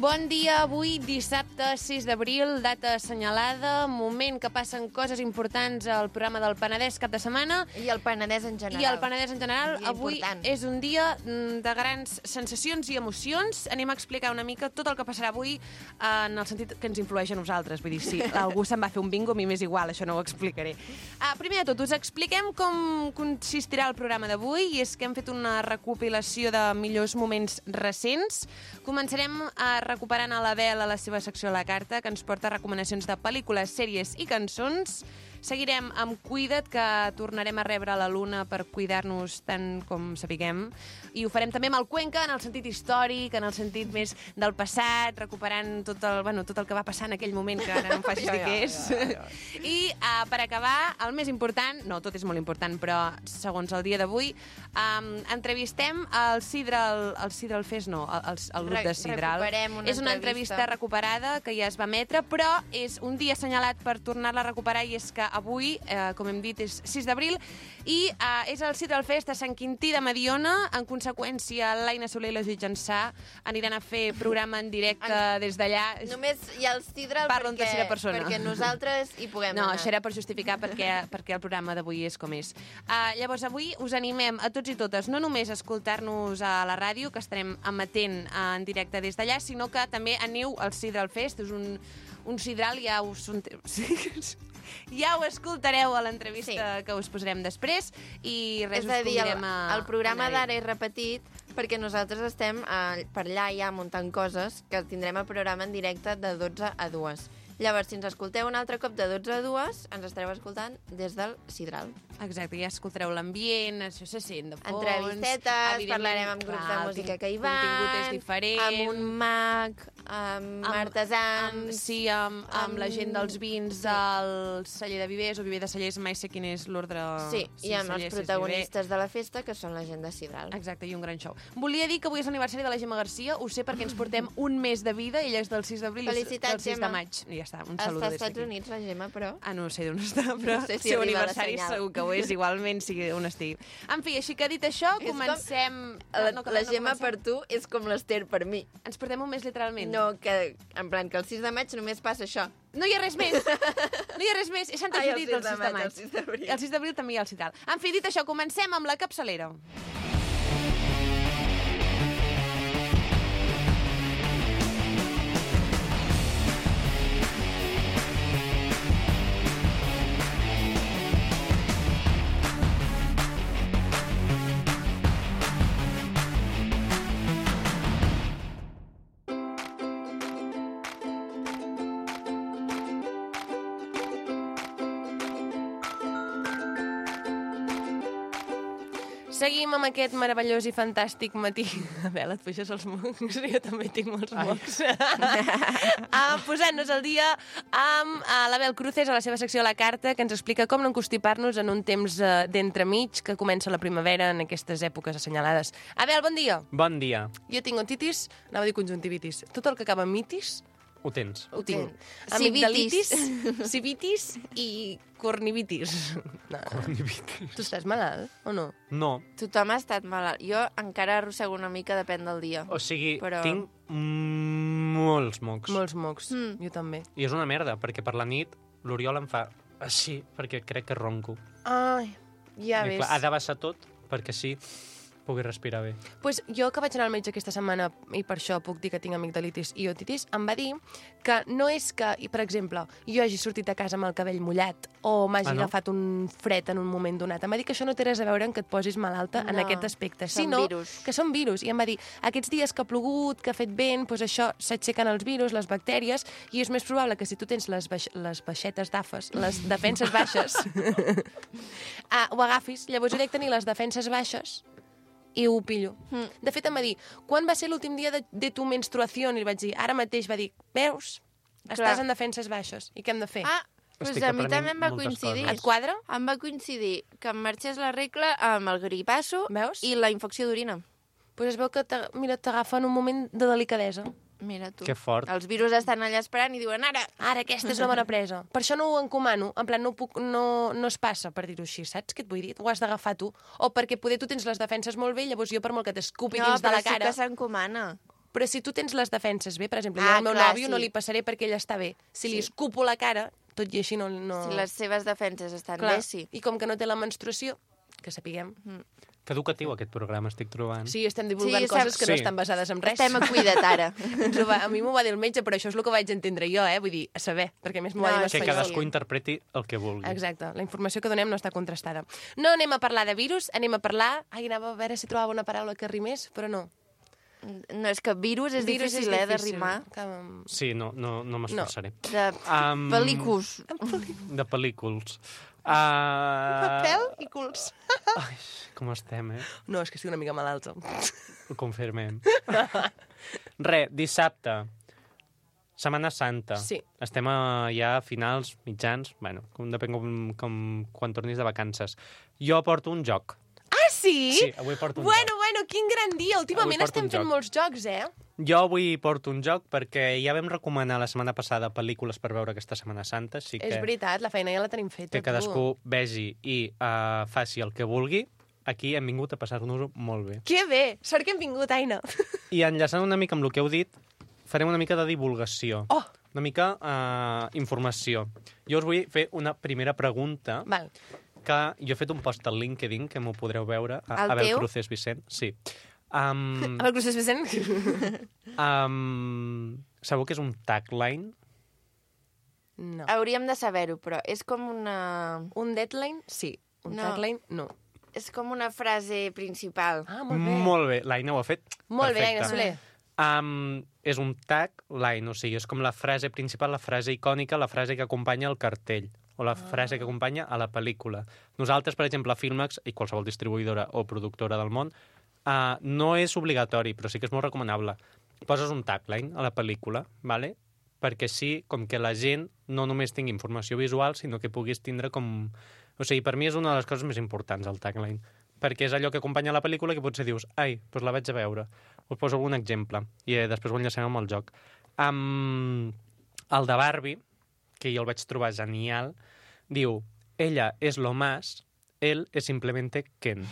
Bon dia, avui dissabte 6 d'abril, data assenyalada, moment que passen coses importants al programa del Penedès cap de setmana. I el Penedès en general. Avui és un dia de grans sensacions i emocions. Anem a explicar una mica tot el que passarà avui en el sentit que ens influeix a nosaltres. Vull dir, si algú se'n va fer un bingo, a mi m'és igual, això no ho explicaré. Primer de tot, us expliquem com consistirà el programa d'avui, i és que hem fet una recopilació de millors moments recents. Començarem recuperant a l'Abel a la seva secció a la carta, que ens porta recomanacions de pel·lícules, sèries i cançons. Seguirem amb Cuida't, que tornarem a rebre la Luna per cuidar-nos tant com sapiguem. I ho farem també amb el Cuenca, en el sentit històric, en el sentit més del passat, recuperant tot el que va passar en aquell moment, que ara no em facis dir què és. I per acabar, el més important, no, tot és molt important, però segons el dia d'avui, entrevistem el Sidral Fest, no, el grup de Sidral. És una entrevista recuperada que ja es va emetre, però és un dia assenyalat per tornar-la a recuperar, i és que avui, com hem dit, és 6 d'abril i és el Sidral Fest a Sant Quintí de Mediona. En conseqüència, l'Aina Soler i la Judit Jansà aniran a fer programa en directe des d'allà. Només hi ha el Sidral perquè nosaltres hi puguem anar. No, això era per justificar perquè el programa d'avui és com és. Llavors, avui us animem a tots i totes no només a escoltar-nos a la ràdio, que estarem emetent en directe des d'allà, sinó que també aneu al Sidral Fest. És un sidral, ja ho escoltareu a l'entrevista que us posarem després, i res, us convidem a... El programa d'ara és repetit perquè nosaltres estem per allà ja muntant coses que tindrem el programa en directe de 12 a 2. Llavors, si ens escolteu un altre cop de 12 a 2, ens estareu escoltant des del Sidral. Exacte, ja escoltareu l'ambient, això se sent de fons. Entrevistetes, parlarem amb grups de música que hi van, el contingut és diferent, amb un mag, amb artesans... Amb la gent dels vins del celler de Vivers o Viver de Cellers, mai sé quin és l'ordre... Sí, i amb els protagonistes de la festa, que són la gent de Sidral. Exacte, i un gran show. Volia dir que avui és l'aniversari de la Gemma Garcia, ho sé perquè ens portem un mes de vida, ella és del 6 d'abril i del 6 de maig. Ja està, un saludo des d'aquí. Està als Estats Units, la Gemma, però... No sé d'on està, però el seu aniversari segur que ho és, igualment, sigui on estigui. En fi, així que dit això, comencem... La Gemma per tu és com l'Ester per mi. Ens portem un mes literalment. No, que en plan que el 6 de maig només passa això. No hi ha res més. No hi ha res més. És Santa Judit el 6 de maig. El 6 d'abril també hi ha el Sidral. En fi, dit això, comencem amb la capçalera. Seguim amb aquest meravellós i fantàstic matí. Abel, et puixes els mocs? Jo també tinc molts mocs. Posant-nos al dia amb l'Abel Cruces a la seva secció a la carta, que ens explica com no encostipar-nos en un temps d'entremig que comença la primavera en aquestes èpoques assenyalades. Abel, bon dia. Bon dia. Jo tinc otitis, anava a dir conjuntivitis. Tot el que acaba en mitis... Ho tens. Ho tinc. Amigdalitis, civitis i cornivitis. Cornivitis. Tu estàs malalt o no? No. Tothom ha estat malalt. Jo encara arrossego una mica, depèn del dia. O sigui, tinc molts mocs. Molts mocs, jo també. I és una merda, perquè per la nit l'Oriol em fa així, perquè crec que ronco. Ai, ja ves. Ha de baixar tot, perquè sí pugui respirar bé. Pues jo que vaig anar al metge aquesta setmana, i per això puc dir que tinc amigdalitis i otitis, em va dir que no és que, per exemple, jo hagi sortit a casa amb el cabell mullat o m'hagi agafat un fred en un moment donat. Em va dir que això no té res a veure amb que et posis malalta en aquest aspecte, sinó que són virus. I em va dir, aquests dies que ha plogut, que ha fet vent, doncs això s'aixequen els virus, les bactèries, i és més probable que si tu tens les baixetes d'afes, les defenses baixes, ho agafis. Llavors jo he de tenir les defenses baixes i ho pillo. De fet, em va dir, quan va ser l'últim dia de tu menstruació? I li vaig dir, ara mateix. Va dir, veus? Estàs en defenses baixes. I què hem de fer? Doncs a mi també em va coincidir. Et quadra? Em va coincidir que em marxés la regla amb el gripasso i la infecció d'orina. Doncs es veu que t'agafa en un moment de delicadesa. Mira tu. Que fort. Els virus estan allà esperant i diuen ara. Ara, aquesta és una bona presa. Per això no ho encomano. En plan, no es passa, per dir-ho així. Saps què et vull dir? Ho has d'agafar tu. O perquè poder tu tens les defenses molt bé, llavors jo per molt que t'escupi dins de la cara... No, però sí que s'encomana. Però si tu tens les defenses bé, per exemple, jo al meu clar, nòvio sí. no li passaré perquè ell està bé. Si li escupo la cara, tot i així no... Si les seves defenses estan Clar. bé, sí. I com que no té la menstruació, que sapiguem. Que educatiu aquest programa, estic trobant. Sí, estem divulgant Sí, coses que no Sí. estan basades en res. Estem a cuida't ara. A mi m'ho va dir el metge, però això és el que vaig entendre jo, Vull dir, a saber, perquè a més m'ho va dir en No, Que espanyol. cadascú interpreti el que vulgui. Exacte, la informació que donem no està contrastada. No anem a parlar de virus, anem a parlar... Anava a veure si trobava una paraula que rimés, però no. No, és que virus és Virus difícil, de rimar. Sí, no m'esforçaré. De pel·lículs. De pel·lículs. Papel i culs. Ai, com estem, No, és que estic una mica malalta. Ho confirmem. Dissabte. Setmana Santa. Sí. Estem ja a finals, mitjans, bueno, depèn quan tornis de vacances. Jo porto un joc. Ah, sí? Sí, avui porto un Bueno, joc. quin gran dia. Últimament Avui porto estem un fent joc. molts jocs, Jo avui porto un joc perquè ja vam recomanar la setmana passada pel·lícules per veure aquesta Setmana Santa, així que, És veritat, la feina ja la tenim feta, que cadascú vegi i faci el que vulgui. Aquí hem vingut a passar-nos-ho molt bé. Que bé! Sort que hem vingut, Aina. I enllaçant una mica amb el que heu dit, farem una mica de divulgació. Oh! Una mica informació. Jo us vull fer una primera pregunta, Val. que jo he fet un post al LinkedIn, que m'ho podreu veure. El Abel teu? Cruces Vicent, sí. Amb el Cruces Vicent? Sabeu què és un tagline? No. Hauríem de saber-ho, però és com una... Un deadline? Sí. Un No. tagline? No. És com una frase principal. Ah, molt bé. Molt bé, l'Aina ho ha fet. Molt bé, perfecte. Aina Soler. És un tagline, o sigui, és com la frase principal, la frase icònica, la frase que acompanya el cartell, o la frase que acompanya a la pel·lícula. Nosaltres, per exemple, a Filmax, i qualsevol distribuïdora o productora del món, no és obligatori, però sí que és molt recomanable. Poses un tagline a la pel·lícula, ¿vale? Perquè així, com que la gent no només tingui informació visual, sinó que puguis tindre com... O sigui, per mi és una de les coses més importants, el tagline, perquè és allò que acompanya la pel·lícula que potser dius, ai, doncs la vaig a veure. Us poso algun exemple, i després ho enllacem amb el joc. El de Barbie, que jo el vaig trobar genial, diu, ella és lo más, él es simplemente Ken.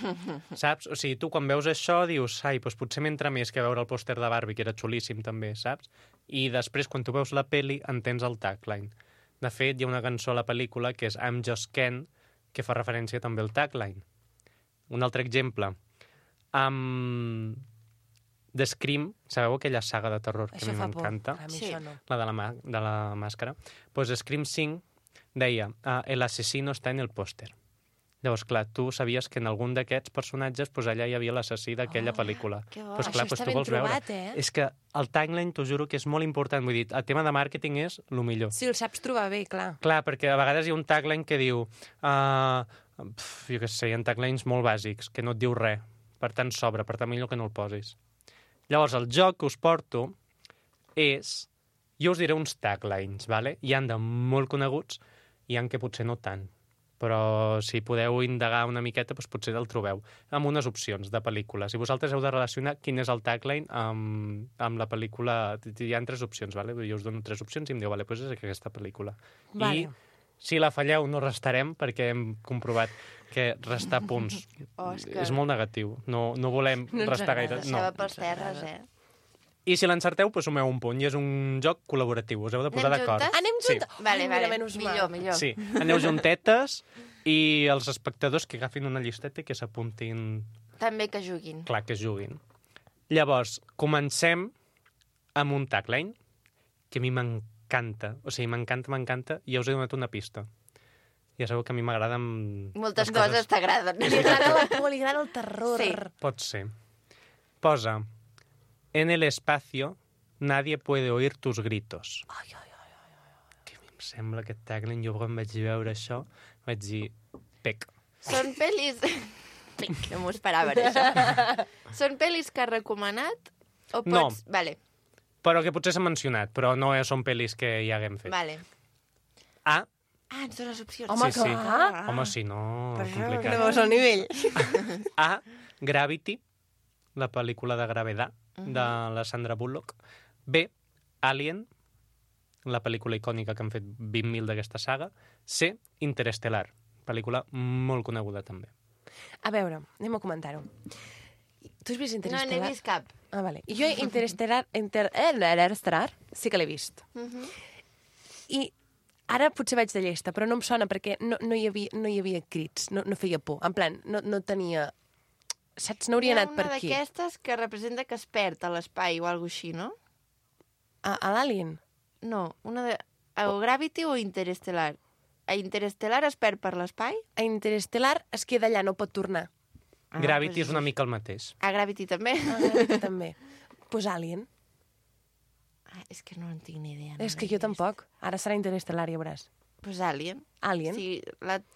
Saps? O sigui, tu quan veus això dius, ai, doncs potser m'entra més que veure el pòster de Barbie, que era xulíssim també, saps? I després, quan tu veus la peli, entens el tagline. De fet, hi ha una cançó a la pel·lícula que és I'm Just Ken, que fa referència també al tagline. Un altre exemple. The Scream, sabeu aquella saga de terror que Això a mi fa por. m'encanta? A mi Sí. això no. La de la màscara. Doncs Scream 5 deia el asesino està en el pòster. Llavors, clar, tu sabies que en algun d'aquests personatges pues, allà hi havia l'assassí d'aquella pel·lícula. que bo. Pues, clar, Això pues, està tu ben vols veure. trobat, És que el tagline, t'ho juro que és molt important. Vull dir, el tema de màrqueting és el millor. Si el saps trobar bé, clar. Clar, perquè a vegades hi ha un tagline que diu... jo què sé, hi ha taglines molt bàsics, que no et diu res. Per tant, sobra, per tant, millor que no el posis. Llavors, el joc que us porto és... Jo us diré uns taglines, ¿vale? Hi han de molt coneguts i hi han que potser no tant. Però si podeu indagar una miqueta, doncs potser el trobeu. Amb unes opcions de pel·lícules. I vosaltres heu de relacionar quin és el tagline amb la pel·lícula. Hi ha 3 opcions, ¿vale? Jo us dono 3 opcions i em diu, vale, doncs és aquesta pel·lícula. Vale. I si la falleu no restarem perquè hem comprovat que restar punts és molt negatiu. No volem No ens restar agrada. gaire. Això va pels terres, I si l'encerteu, doncs sumeu un punt. I és un joc col·laboratiu. Us heu de posar Anem d'acord. juntes? Anem Sí. juntes? Vale, Ai, vale. mira, menys mal. Millor. Sí, aneu juntetes i els espectadors que agafin una llisteta i que s'apuntin... També que juguin. Clar, que juguin. Llavors, comencem amb un tagline que a mi m'encanta. O sigui, m'encanta. I ja us he donat una pista. Ja sabeu que a mi m'agrada... Moltes coses t'agraden. Li agrada la por, li agrada el terror. Sí. Pot ser. Posa, en el espacio nadie puede oír tus gritos. Ai. Que a mi em sembla aquest tagline, jo quan vaig veure això, vaig dir, pec. Són pel·lis... No m'ho esperava, això. Són pel·lis que has recomanat? O pots... No. Vale, Però que potser s'ha mencionat, però no són pel·lis que ja haguem fet. vale. A, Ah, ens dones opcions. Home, sí. clar. Home, si no, Per això, No complicat. veus el nivell. A, Gravity, la pel·lícula de Gravedad, de la Sandra Bullock. B, Alien, la pel·lícula icònica que han fet 20.000 d'aquesta saga. C, Interestelar, pel·lícula molt coneguda també. A veure, anem a comentar-ho. Tu has vist No, Interestelar? n'he vist cap. Ah, vale. I jo Interestelar sí que l'he vist. I ara potser vaig de llesta, però no em sona perquè no hi havia crits, no feia por. En plan, no tenia... Saps? No hauria anat per aquí. Hi ha una d'aquestes que representa que es perd a l'espai o alguna així, no? A l'Alien? No, una de... O Gravity o Interestelar? A Interestelar es perd per l'espai? A Interestelar es queda allà, no pot tornar. Gravity és una mica el mateix. A Gravity també? També. Pues Alien. És que no en tinc ni idea. És que jo tampoc. Ara serà Interestelar, ja veuràs. Pues Alien. Alien?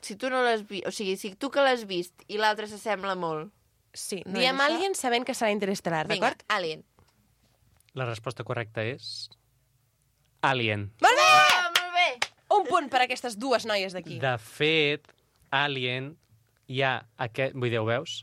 Si tu no l'has vist... O sigui, si tu que l'has vist i l'altre s'assembla molt... Sí, No diem és això? Alien sabent que serà Interestelar, Vinga, d'acord? Alien. La resposta correcta és... Alien. Molt bé! Molt bé! Un punt per a aquestes dues noies d'aquí. De fet, Alien hi ha aquest... Vull dir, ho veus?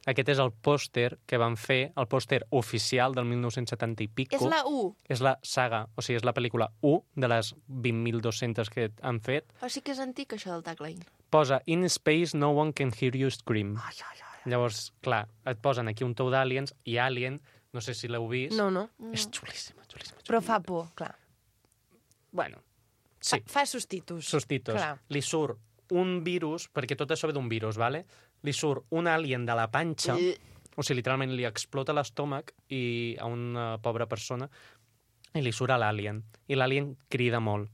Aquest és el pòster que van fer, el pòster oficial del 1970 i pico. És la 1. És la saga, o sigui, és la pel·lícula 1 de les 20.200 que han fet. O sigui que és antic, això del tagline. Posa In space no one can hear you scream. Llavors, clar, et posen aquí un tou d'aliens i Alien, no sé si l'heu vist. No. És xulíssima. Però fa por, clar. Bueno, sí. Fa sustitus. Sustitos. Clar. Li surt un virus, perquè tot això ve d'un virus, vale? Li surt un alien de la panxa, o sigui, literalment li explota l'estómac i a una pobra persona i li surt a l'alien. I l'alien crida molt.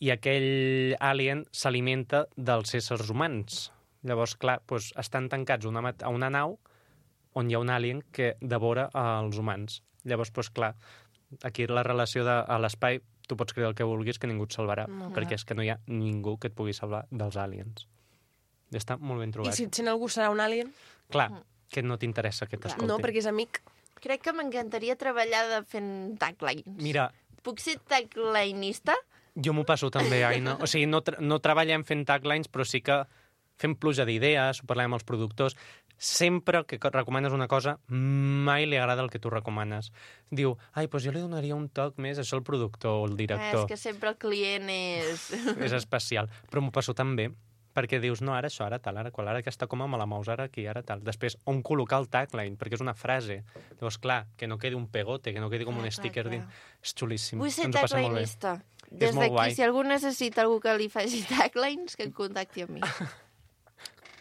I aquell alien s'alimenta dels éssers humans. Llavors, clar, doncs estan tancats a una nau on hi ha un alien que devora els humans. Llavors, doncs clar, aquí la relació a l'espai, tu pots creure el que vulguis, que ningú et salvarà, perquè és que no hi ha ningú que et pugui salvar dels aliens. Està molt ben trobat. I si et sent algú serà un alien? Clar, que no t'interessa que t'escolti. No, perquè és amic. Crec que m'encantaria treballar fent taglines. Mira, Puc ser taglinista? jo m'ho passo també, Aina. O sigui, no treballem fent taglines, però sí que fem pluja d'idees, ho parlem amb els productors. Sempre que recomanes una cosa, mai li agrada el que tu recomanes. Diu, doncs jo li donaria un toc més, això al productor o al director. És que sempre el client és... És especial. Però m'ho passo tan bé, perquè dius, no, ara això, ara tal, ara qual, ara aquesta coma me la mous, ara aquí, ara tal. Després, on col·locar el tagline, perquè és una frase. Llavors, clar, que no quedi un pegote, que no quedi com un sticker clar. dins. És xulíssim. Vull ser Ens ho passem molt bé. taglinista. És Des molt d'aquí, guai. si algú necessita algú que li faci taglines, que em contacti amb mi.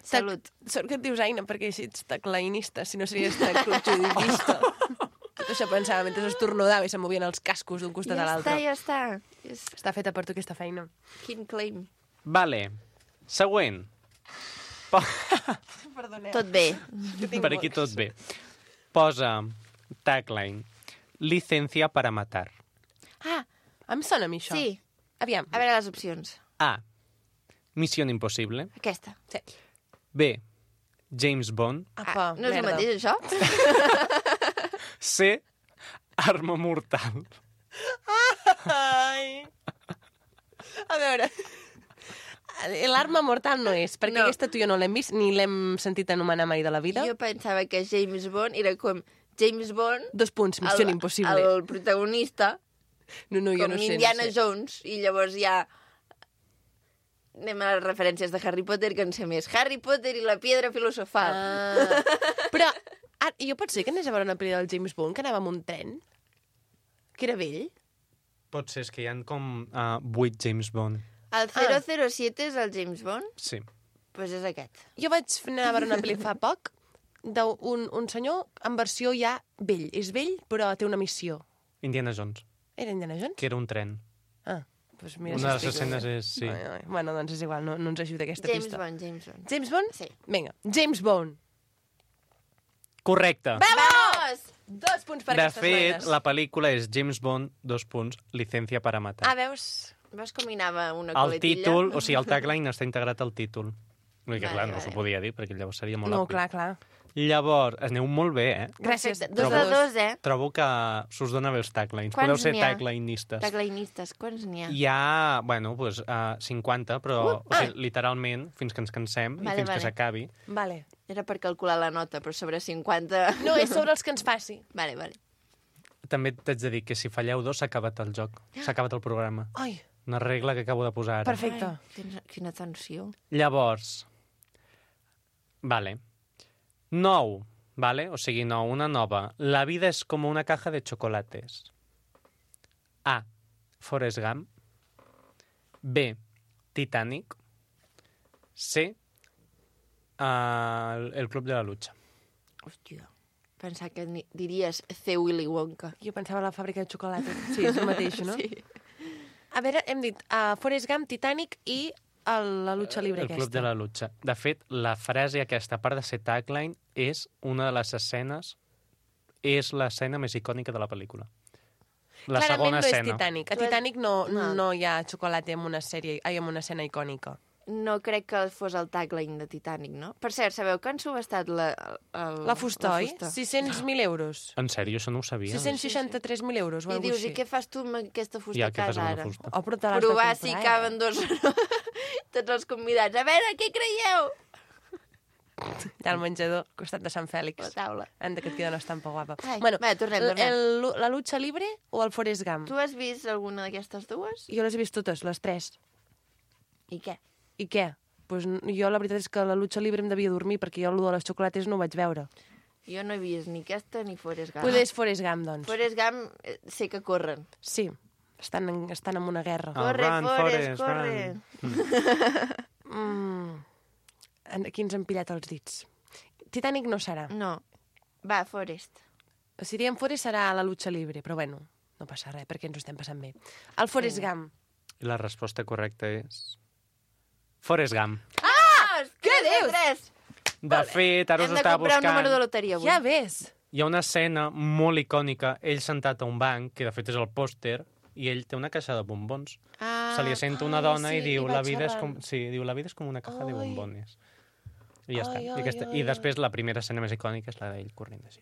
Salut. Sort que et dius Aina, perquè així ets taglinista, si no series taglinista. Tot això pensava mentre estornudava i se movien els cascos d'un costat a l'altre. Ja està. Està feta per tu aquesta feina. Quin claim. Vale. Següent. Perdoneu. Tot bé. Per aquí tot bé. Posa tagline. Licencia para matar. Ah, Em sona a mi això. sí. Aviam. A veure les opcions. A. Misión imposible. Aquesta. Sí. B. James Bond. Apa, no és el merda. mateix, això? C. Arma mortal. Ai. A veure... L'arma mortal no és, perquè No. aquesta tu i jo no l'hem vist, ni l'hem sentit anomenar mai de la vida. Jo pensava que James Bond era com James Bond... 2 punts, missió impossible. El protagonista, No, jo com no sé. Indiana no sé. Jones, i llavors ja... Anem a les referències de Harry Potter, que en sé més. Harry Potter i la piedra filosofal. Ah. Però jo pot ser que anés a veure una pel·lícula del James Bond que anava amb un tren? Que era vell? Pot ser, és que hi ha com 8 James Bond. El 007 és el James Bond? Sí. Doncs pues és aquest. Jo vaig anar a veure una pel·li fa poc d'un senyor en versió ja vell. És vell, però té una missió. Indiana Jones, Era Indiana Jones? que era un tren. Ah, doncs mira... Una de si les estic- escenes és... Sí. Ai. Bueno, doncs és igual, no ens ajuda aquesta James pista. Bond, James Bond. James Bond? Sí. Vinga, James Bond. Correcte. Vamos! 2 punts per De aquestes fet, noies. la pel·lícula és James Bond, 2 punts, licencia para matar. Ah, veus? Veus com hi anava una El coletilla? títol, o sigui, el tagline està integrat al títol. Vull dir que, Vale, clar, no vale. s'ho podia dir, perquè llavors seria molt No, obvi. clar. Llavors, aneu molt bé, eh? Gràcies. Perfecte. 2 de 2, Trobo que s'us dona bé els taglines. Quants Podeu ser n'hi ha? taglinistes. Taglinistes, quants n'hi ha? Hi ha, bueno, doncs, 50, però o sigui, literalment, fins que ens cansem i Vale, fins vale. que s'acabi. Vale. Era per calcular la nota, però sobre 50... No, és sobre els que ens faci. Vale. També t'haig de dir que si falleu 2 s'ha acabat el joc, s'ha acabat el programa. Ai, Una regla que acabo de posar ara. perfecte. Ai, quina tensió. Llavors, vale. 9 ¿vale? O sigui, no, una nova. La vida es como una caja de chocolates. A. Forrest Gump. B. Titanic. C. El Club de la Lucha. Hòstia. Pensar que diries C. Willy Wonka. Jo pensava en la fàbrica de xocolata. Sí, és el mateix, no? Sí. A veure, hem dit Forrest Gump, Titanic i la lucha libre El aquesta. Club de la Lucha. De fet, la frase aquesta, a part de ser tagline, és una de les escenes... És l'escena més icònica de la pel·lícula. La Clarament segona no és escena. Titanic. A Tu has- Titanic no No. hi ha xocolata en una sèrie, en una escena icònica. No crec que fos el tagline de Titanic, no? Per cert, sabeu que han subestat la Fusta, oi? fusta? 600.000 euros. En sèrio, això no ho sabia. 663.000 euros o I alguna dius, així. i què fas tu amb aquesta fusta Ja, a què fas casa amb ara? una fusta? Oh, però te l'has de Provar comprar, si caben dos tots els convidats. A veure, què creieu? Allà al menjador, al costat de Sant Fèlix. La taula. Anda, que et queda una estampa guapa. Ai, Bueno, va, tornem. la lucha libre o el Forrest Gump? Tu has vist alguna d'aquestes dues? Jo les he vist totes, les tres. I què? I què? Pues jo la veritat és que la lucha libre em devia dormir perquè jo el de les xocolates no ho vaig veure. Jo no he vist ni aquesta ni Forrest Gump. Pues és Forrest Gump, doncs. Forrest Gump sé que corren. Sí, estan en una guerra. Ah. Corre, run, Forrest, Forrest, corre. Aquí ens han pillat els dits. Titanic no serà. No. Va, Forrest. Si diem Forrest serà la lucha libre, però bueno, no passa res perquè ens ho estem passant bé. El Forrest Gump. I la resposta correcta és... Forrest Gump. Ah! Què dius? 3. De fet, ara us Hem de estava comprar un número de buscant... loteria avui. Ja ves. Hi ha una escena molt icònica, ell sentat a un banc, que de fet és el pòster, i ell té una caixa de bombons. Ah, Se li assenta una ai, dona sí, i diu, i va la vida és xerrant. com... Sí, diu, la vida és com una caja de Ai. bombones. I ja està. Ai, I després la primera escena més icònica és la d'ell corrent així.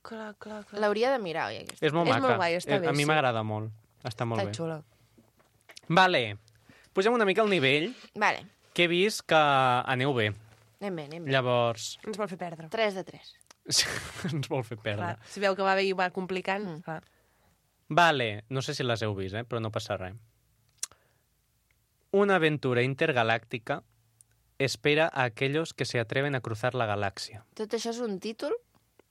Clar. l'hauria de mirar, oi, aquesta? És molt És maca. molt guai, està bé, A mi sí. m'agrada molt. Està molt Està bé. xula. Vale. Pugem una mica el nivell, Vale, que he vist que aneu bé. anem bé, anem bé. Llavors, Ens vol fer perdre. 3 de 3. ens vol fer perdre. Clar. Si veu que va bé i va complicant, clar. Vale, no sé si les heu vist, però no passa res. Una aventura intergaláctica espera a aquellos que se atreven a cruzar la galaxia. Tot això és un títol?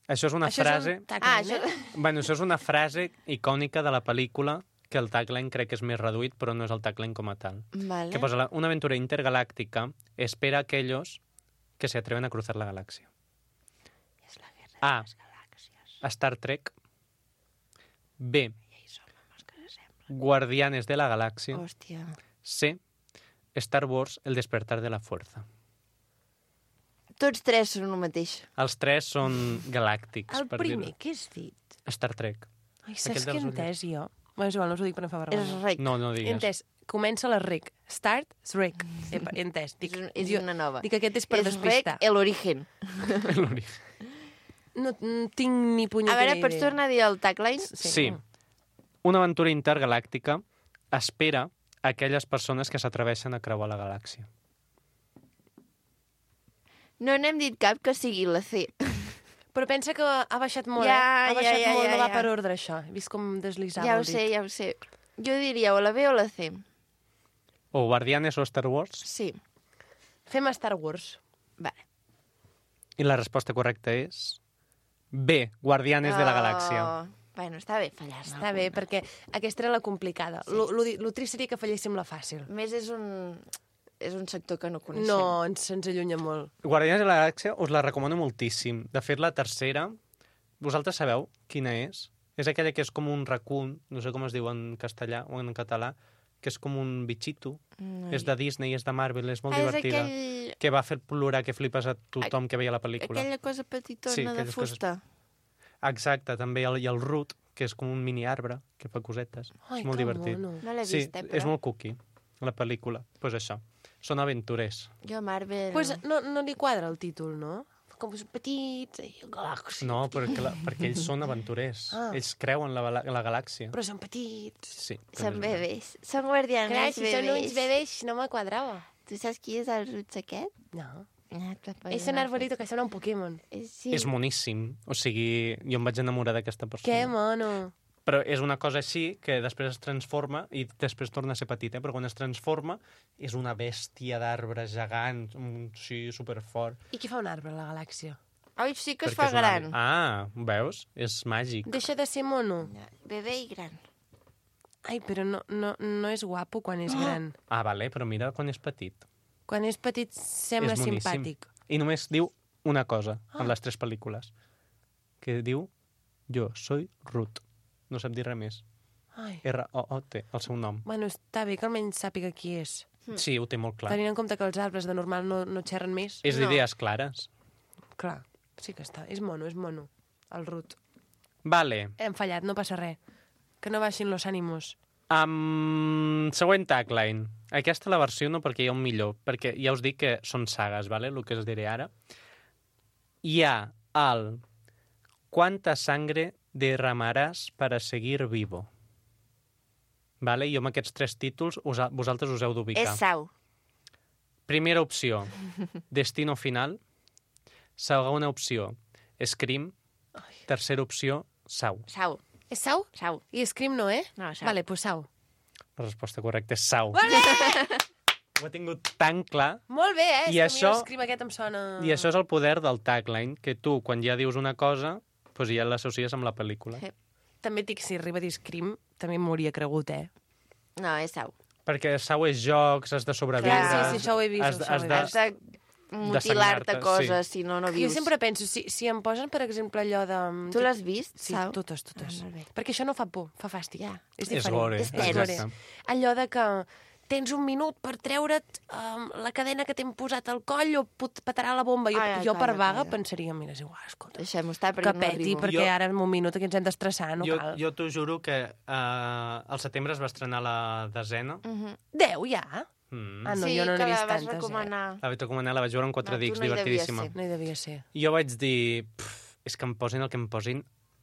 Això és una Això frase... és un tagline, això... Bueno, això és una frase icònica de la pel·lícula, que el tagline crec que és més reduït, però no és el tagline com a tal. Vale. Que posa una aventura intergaláctica espera a aquellos que se atreven a cruzar la galaxia. És la guerra A. de les galàxies. Star Trek. B. I ahí són homes que s'assemblen. Guardianes de la Galaxia. Hòstia. C. Star Wars, El despertar de la fuerza. Tots tres són el mateix. Els tres són galàctics. El per primer, dir-ho. què has dit? Star Trek. Ai, Aquell saps què he dels entès jo? Bueno, és igual, no us ho dic per no fer És vergonya. rec. No, no He digues. entès. Comença la REC. Start, REC. He entès. Dic, És jo- una nova. Dic, aquest és per és despistar. rec el origen. No tinc ni A punyetera veure, pots idea. tornar a dir el tagline? Sí. Una aventura intergalàctica espera a aquelles persones que s'atreveixen a creuar la galàxia. No n'hem dit cap que sigui la C. Però pensa que ha baixat molt, Ja, Ha baixat ja, molt, ja, no va ja. per ordre, això. He vist com deslizava Ja ho el dit. sé, ja ho sé. Jo diria o la B o la C. O Guardianes o Star Wars. Sí. Fem Star Wars. Vale. I la resposta correcta és B. Guardianes de la Galàxia. Bueno, està bé fallar-ne. Està bé, perquè aquesta era la complicada. Lo trist seria que falléssim la fàcil. A més, és un sector que no coneixem. No, se'ns allunya molt. Guardianes de la Galàxia us la recomano moltíssim. De fet, la tercera, vosaltres sabeu quina és? És aquella que és com un raccoon, no sé com es diu en castellà o en català, que és com un bitxito. No, És de Disney, és de Marvel, és molt és divertida. aquell... Que va fer plorar que flipes a tothom que veia la pel·lícula. Aquella cosa petitona Sí, de aquelles coses- fusta. Exacte, també. I el Root, que és com un mini arbre, que fa cosetes. Ai, és molt que divertit. mono. No l'he Sí, vist, però... és molt cookie, la pel·lícula. Doncs pues això. Són aventurers. Jo a Marvel... Pues no li quadra el títol, no? Com són petits, i galàxia. No, perquè ells són aventurers. Ah. Ells creuen la galàxia. Però són petits. Sí. Són bebès. Són guardianes Clar, si bebès. són uns bebès, no me quadrava. Tu saps qui és el Roots aquest? No. Ah, És un arbolito que sembla un Pokémon. Sí. És moníssim. O sigui, jo em vaig enamorar d'aquesta persona. Que mono. Però és una cosa així que després es transforma i després torna a ser petita, però quan es transforma és una bèstia d'arbre gegant, sí, superfort. I què fa un arbre a la galàxia? Ai, sí que es perquè fa és un gran. veus? És màgic. Deixa de ser mono. Bebè i gran. Ai, però no és guapo quan és gran. Vale, però mira quan és petit. Quan és petit sembla És moníssim. simpàtic. I només diu una cosa en les 3 pel·lícules. Que diu, jo soy Ruth. No sap dir res més. Ai. R-O-O-T, el seu nom. Bueno, està bé que almenys sàpiga qui és. Sí, ho té molt clar. Tenint en compte que els arbres de normal no xerren més. És d'idees clares. Clar, sí que està. És mono. El Ruth. Vale. Hem fallat, no passa res. Que no baixin los ànimos. Següent tagline. Aquesta la versió no perquè hi ha un millor, perquè ja us dic que són sagues, vale? El que us diré ara. Hi ha el «Quanta sangre derramaràs para seguir vivo». Vale? Jo amb aquests 3 títols vosaltres us heu d'ubicar. És Sau. Primera opció, Destino Final. Segona opció, Scream. Tercera opció, Sau. Sau. És Sau? Sau. I Scream no, eh? No, Sau. Vale, pues Sau. La resposta correcta és Sau. Vale! Ho he tingut tan clar. Molt bé, eh? I És que això- a mi el Scream aquest em sona... I això és el poder del tagline, que tu, quan ja dius una cosa, doncs ja l'associes amb la pel·lícula. Sí. També et dic, si arriba a dir Scream, també m'hauria cregut, eh? No, és Sau. Perquè Sau és jocs, has de sobreviure... Clar, sí, això ho he vist, Has, això ho he has vist. de... Has de mutilar-te sagnar-te, coses, si no Jo vius. sempre penso, si em posen, per exemple, allò de... Tu l'has vist, Sí, Sau? totes. molt bé. Perquè això no fa por, fa fàstic. Ja. És És diferent. gore. És tens. exacte. Allò de que tens un minut per treure't la cadena que t'hem posat al coll o petarà la bomba. Jo per calla, vaga calla. pensaria, mira, és igual, escolta, Deixem-ho estar que perquè no peti, arribo. perquè Jo- ara en un minut aquí ens hem d'estressar, no cal. Jo t'ho juro que al setembre es va estrenar la desena. 10 ja? Mm. Ah, no, sí, jo no que n'he vist la vas tantes, recomanar. La vaig recomanar, la vaig veure en 4 No, tu dics, no hi devies divertidíssima. ser. No hi devia ser. Jo vaig dir, és que em posin el que em posin,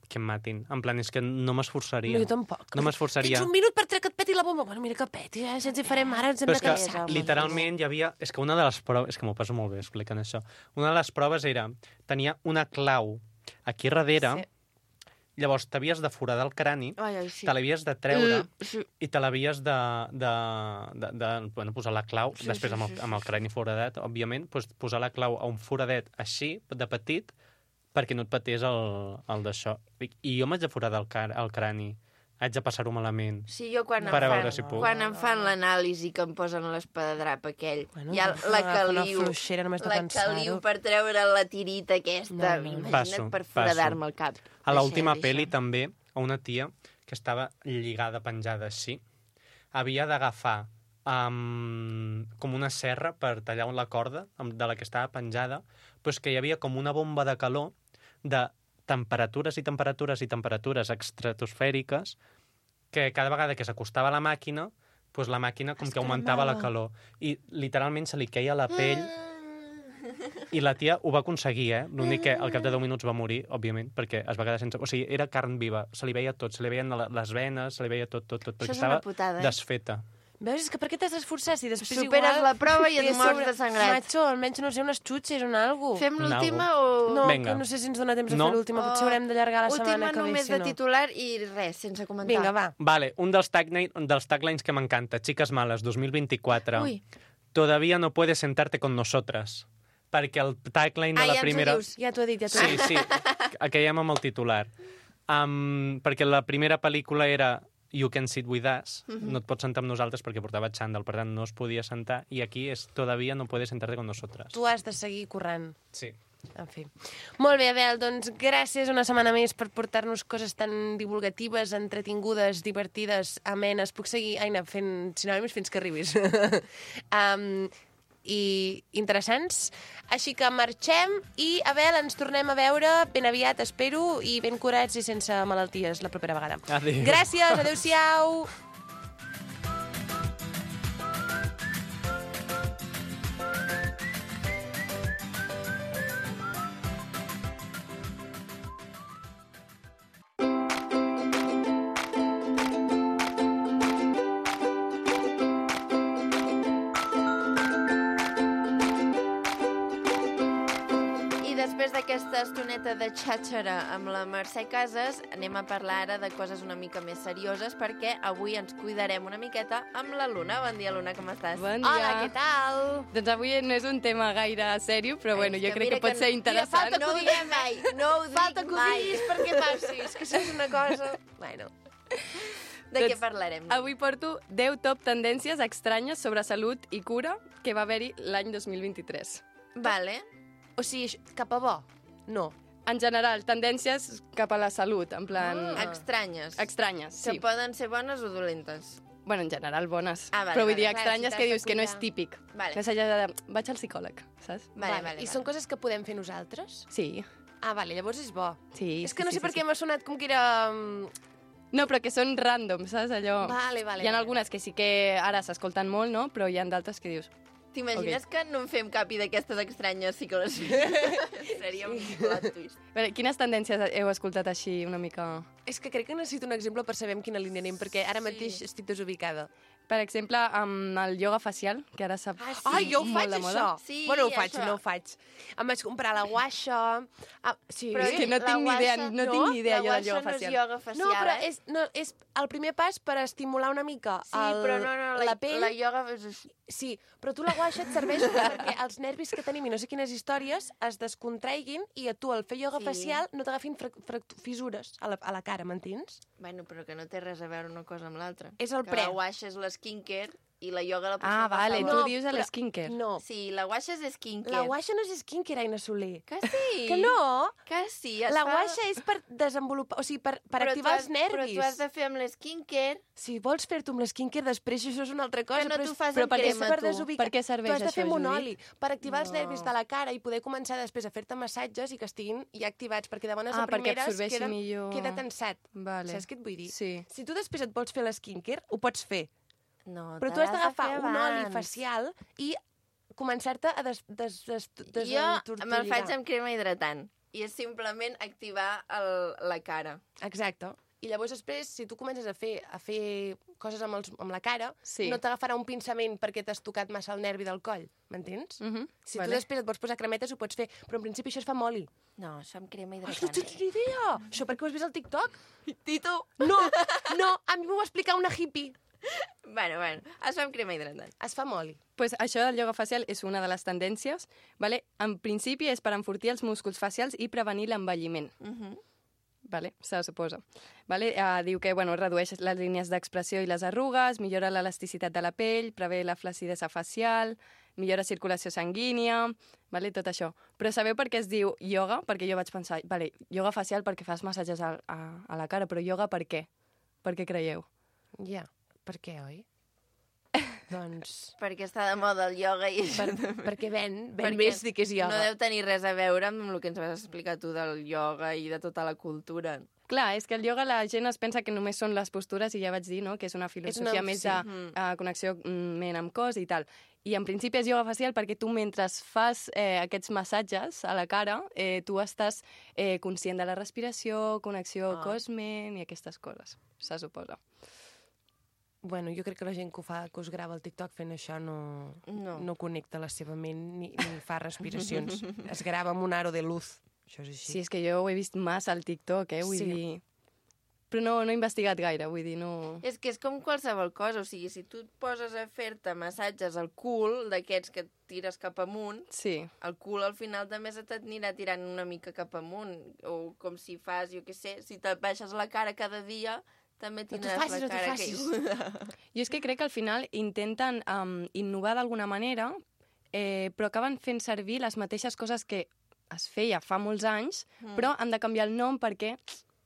que em matin. En plan, és que no m'esforçaria. No, jo tampoc. No m'esforçaria. Tens un minut per treure que et peti la bomba. Bueno, mira que peti, ja ens hi farem ara, ens hem Però de és que cansar. home, literalment hi havia... És que una de les proves... És que m'ho passo molt bé explicant això. Una de les proves era... Tenia una clau aquí darrere, Sí. llavors t'havies de foradar el crani, Ai, sí. te l'havies de treure Sí. i te l'havies de posar la clau, Sí, després sí, amb sí, amb el crani foradat, òbviament, doncs posar la clau a un foradet així, de petit, perquè no et patés el d'això. I jo m'haig de foradar el crani. Haig de passar-ho malament. Sí, jo quan, Per a em veure fan, si puc. quan em fan l'anàlisi que em posen l'espadadrap aquell, Bueno, ja la caliu, Una fluixera només de la caliu pensar-ho. per treure la tirita aquesta, No, no. imagina't Passo, per passo. foradar-me el cap. A l'última Deixa. pel·li també, a una tia que estava lligada, penjada així, havia d'agafar com una serra per tallar la corda de la que estava penjada, però que hi havia com una bomba de calor de temperatures i temperatures i temperatures estratosfèriques que cada vegada que s'acostava a la màquina, doncs la màquina com que augmentava la calor. I literalment se li queia la pell i la tia ho va aconseguir, eh? L'únic que al cap de 10 minuts va morir, òbviament, perquè es va quedar sense... O sigui, era carn viva, se li veia tot, se li veien les venes, se li veia tot, perquè és una estava putada, eh? desfeta. Veus? És que per què t'has d'esforçar si després Superes igual... la prova i et a mors sobre- de sangrat. Macho, almenys no sé, unes xutxes, un algo. Fem Un l'última algo. o... No, Vinga. que no sé si ens dona temps a No. fer l'última. Potser haurem d'allargar la setmana Última que ve, només si de no. titular i res, sense comentar. Vinga, va. Vale, un dels taglines que m'encanta, Chicas Malas, 2024. Ui. Todavía no puedes sentarte con nosotras. Perquè el tagline de la ja ens ho primera... dius. Ja t'ho he dit, ja t'ho he Sí, dit. sí, aquellem amb el titular. Perquè la primera pel·lícula era You Can Sit With Us, no et pots sentar amb nosaltres perquè portava xandall, per tant no es podia sentar, i aquí és Todavía no puedes sentarte con nosotras. Tu has de seguir corrent. Sí. En fi. Molt bé, Abel, doncs gràcies una setmana més per portar-nos coses tan divulgatives, entretingudes, divertides, amenes. Puc seguir, Aina, fent sinònims fins que arribis. I interessants. Així que marxem i, Abel, ens tornem a veure ben aviat, espero, i ben curats i sense malalties la propera vegada. Adéu. Gràcies, adéu-siau! aquesta estoneta de xàxera amb la Mercè Casas, anem a parlar ara de coses una mica més serioses, perquè avui ens cuidarem una miqueta amb la Luna. Bon dia, Luna, com estàs? Bon dia. Hola, què tal? Doncs avui no és un tema gaire seriós, però bueno, jo crec que pot ser interessant. No ho diem mai, no ho dic Falta que ho mai. diguis perquè passis, que això és una cosa... Bueno, De què Doncs parlarem? Avui porto 10 top tendències estranyes sobre salut i cura que va haver-hi l'any 2023. Vale. o sigui, cap a bo? No. En general, tendències cap a la salut, en plan... Estranyes. Estranyes, Que sí. poden ser bones o dolentes. Bueno, en general, bones. Ah, vale, però vull vale, dir, clar, estranyes si que t'has de dius que no és cuidar. típic. Vale. Més allà de... Vaig al psicòleg, saps? Vale. I són coses que podem fer nosaltres? Sí, Ah, vale, llavors és bo. sí. És que no sí, sé per sí, què m'ha sonat com que era... No, però que són random, saps? Allò... Vale. Hi ha algunes que sí que ara s'escolten molt, no? Però hi ha d'altres que dius... T'imagines que no en fem cap i d'aquestes estranyes psicologies? Seria un plot twist. A veure, quines tendències heu escoltat així una mica... És que crec que necessito un exemple per saber en quina línia anem, perquè ara mateix estic desubicada. Per exemple, amb el ioga facial, que ara s'ha... Ah, sí. Ai, jo ho molt faig, de moda. això! Sí, bueno, ho faig, això. no ho faig. Em vaig comprar la guaixa... Ah, sí. Però És que no la tinc ni idea, guaixa- no tinc ni idea la jo del ioga guaixa facial. No és ioga facial, No, però eh? és el primer pas per estimular una mica Sí, però no, la pell. la ioga és així. Sí, però tu la guaixa et serveix perquè els nervis que tenim i no sé quines històries es descontreguin i a tu al fer ioga Sí. facial no t'agafin fissures a la cara, m'entens? Bueno, però que no té res a veure una cosa amb l'altra. És el que pre. la guaixa és l'esquincare i la ioga la pots Ah, fer vale, passar tu alhora. dius a l'esquincare. No, Sí, la guaixa és skincare. la guaixa no és skincare, Aina Soler. Que sí? Que no? Que sí. Es La fa... guaixa és per desenvolupar, o sigui, per Però activar tu els nervis. Però tu has de fer amb l'esquincare. Si vols fer-t'ho amb l'esquincare després, això és una altra cosa. Que no però t'ho és- fas però amb per què crema, per tu. desubicar. Per què serveix Tu has de fer això, amb un Judit? oli, per activar els No. nervis de la cara i poder començar després a fer-te massatges i que estiguin ja activats, perquè de bones a perquè primeres absorbeixi millor. queda tensat. Vale. Saps què et vull dir? Sí. Si tu després et vols fer l'esquincare, ho pots fer, No, però te tu has l'has de d'agafar fer un oli abans. facial i començar-te a Jo me'l faig amb crema hidratant i és simplement activar la cara. Exacte. I llavors després, si tu comences a fer coses amb la cara, Sí. no t'agafarà un pinçament perquè t'has tocat massa el nervi del coll, m'entens? Si tu Vale. després et vols posar cremetes, ho pots fer, però en principi això es fa amb oli. No, això amb crema Ai, no hidratant. tens ni idea! Això perquè ho has vist al TikTok? Tito! No, a mi m'ho va explicar una hippie. Bueno, es fa amb crema hidratant. Es fa amb oli. Pues això del ioga facial és una de les tendències. Vale? En principi és per enfortir els músculs facials i prevenir l'envelliment. Vale? Se suposa. Vale? Diu que bueno, redueix les línies d'expressió i les arrugues, millora l'elasticitat de la pell, prevé la flacidesa facial, millora circulació sanguínia, vale? Tot això. Però sabeu per què es diu ioga? Perquè jo vaig pensar, vale, ioga facial perquè fas massatges a la cara, però ioga per què? Per què creieu? Ja, per què, oi? Doncs... Perquè està de moda el ioga i... perquè ven Perquè més dir que és ioga. No deu tenir res a veure amb el que ens vas explicar tu del ioga i de tota la cultura. Clar, és que el ioga la gent es pensa que només són les postures i ja vaig dir, no?, que és una filosofia més sí. de connexió ment amb cos i tal. I en principi és ioga facial perquè tu mentre fas aquests massatges a la cara, tu estàs conscient de la respiració, connexió cos-ment i aquestes coses, se suposa. Bueno, jo crec que la gent que ho fa, que us grava el TikTok fent això no connecta la seva ment ni fa respiracions. Es grava amb un aro de luz. Això és així. Sí, és que jo ho he vist massa al TikTok, vull dir... Però no he investigat gaire, vull dir, no... És que és com qualsevol cosa, o sigui, si tu et poses a fer-te massatges al cul, d'aquests que et tires cap amunt, Sí. el cul al final també se t'anirà tirant una mica cap amunt, o com si fas, jo què sé, si te baixes la cara cada dia, també tindràs la cara caiguda. Jo és que crec que al final intenten innovar d'alguna manera, però acaben fent servir les mateixes coses que es feia fa molts anys, però han de canviar el nom perquè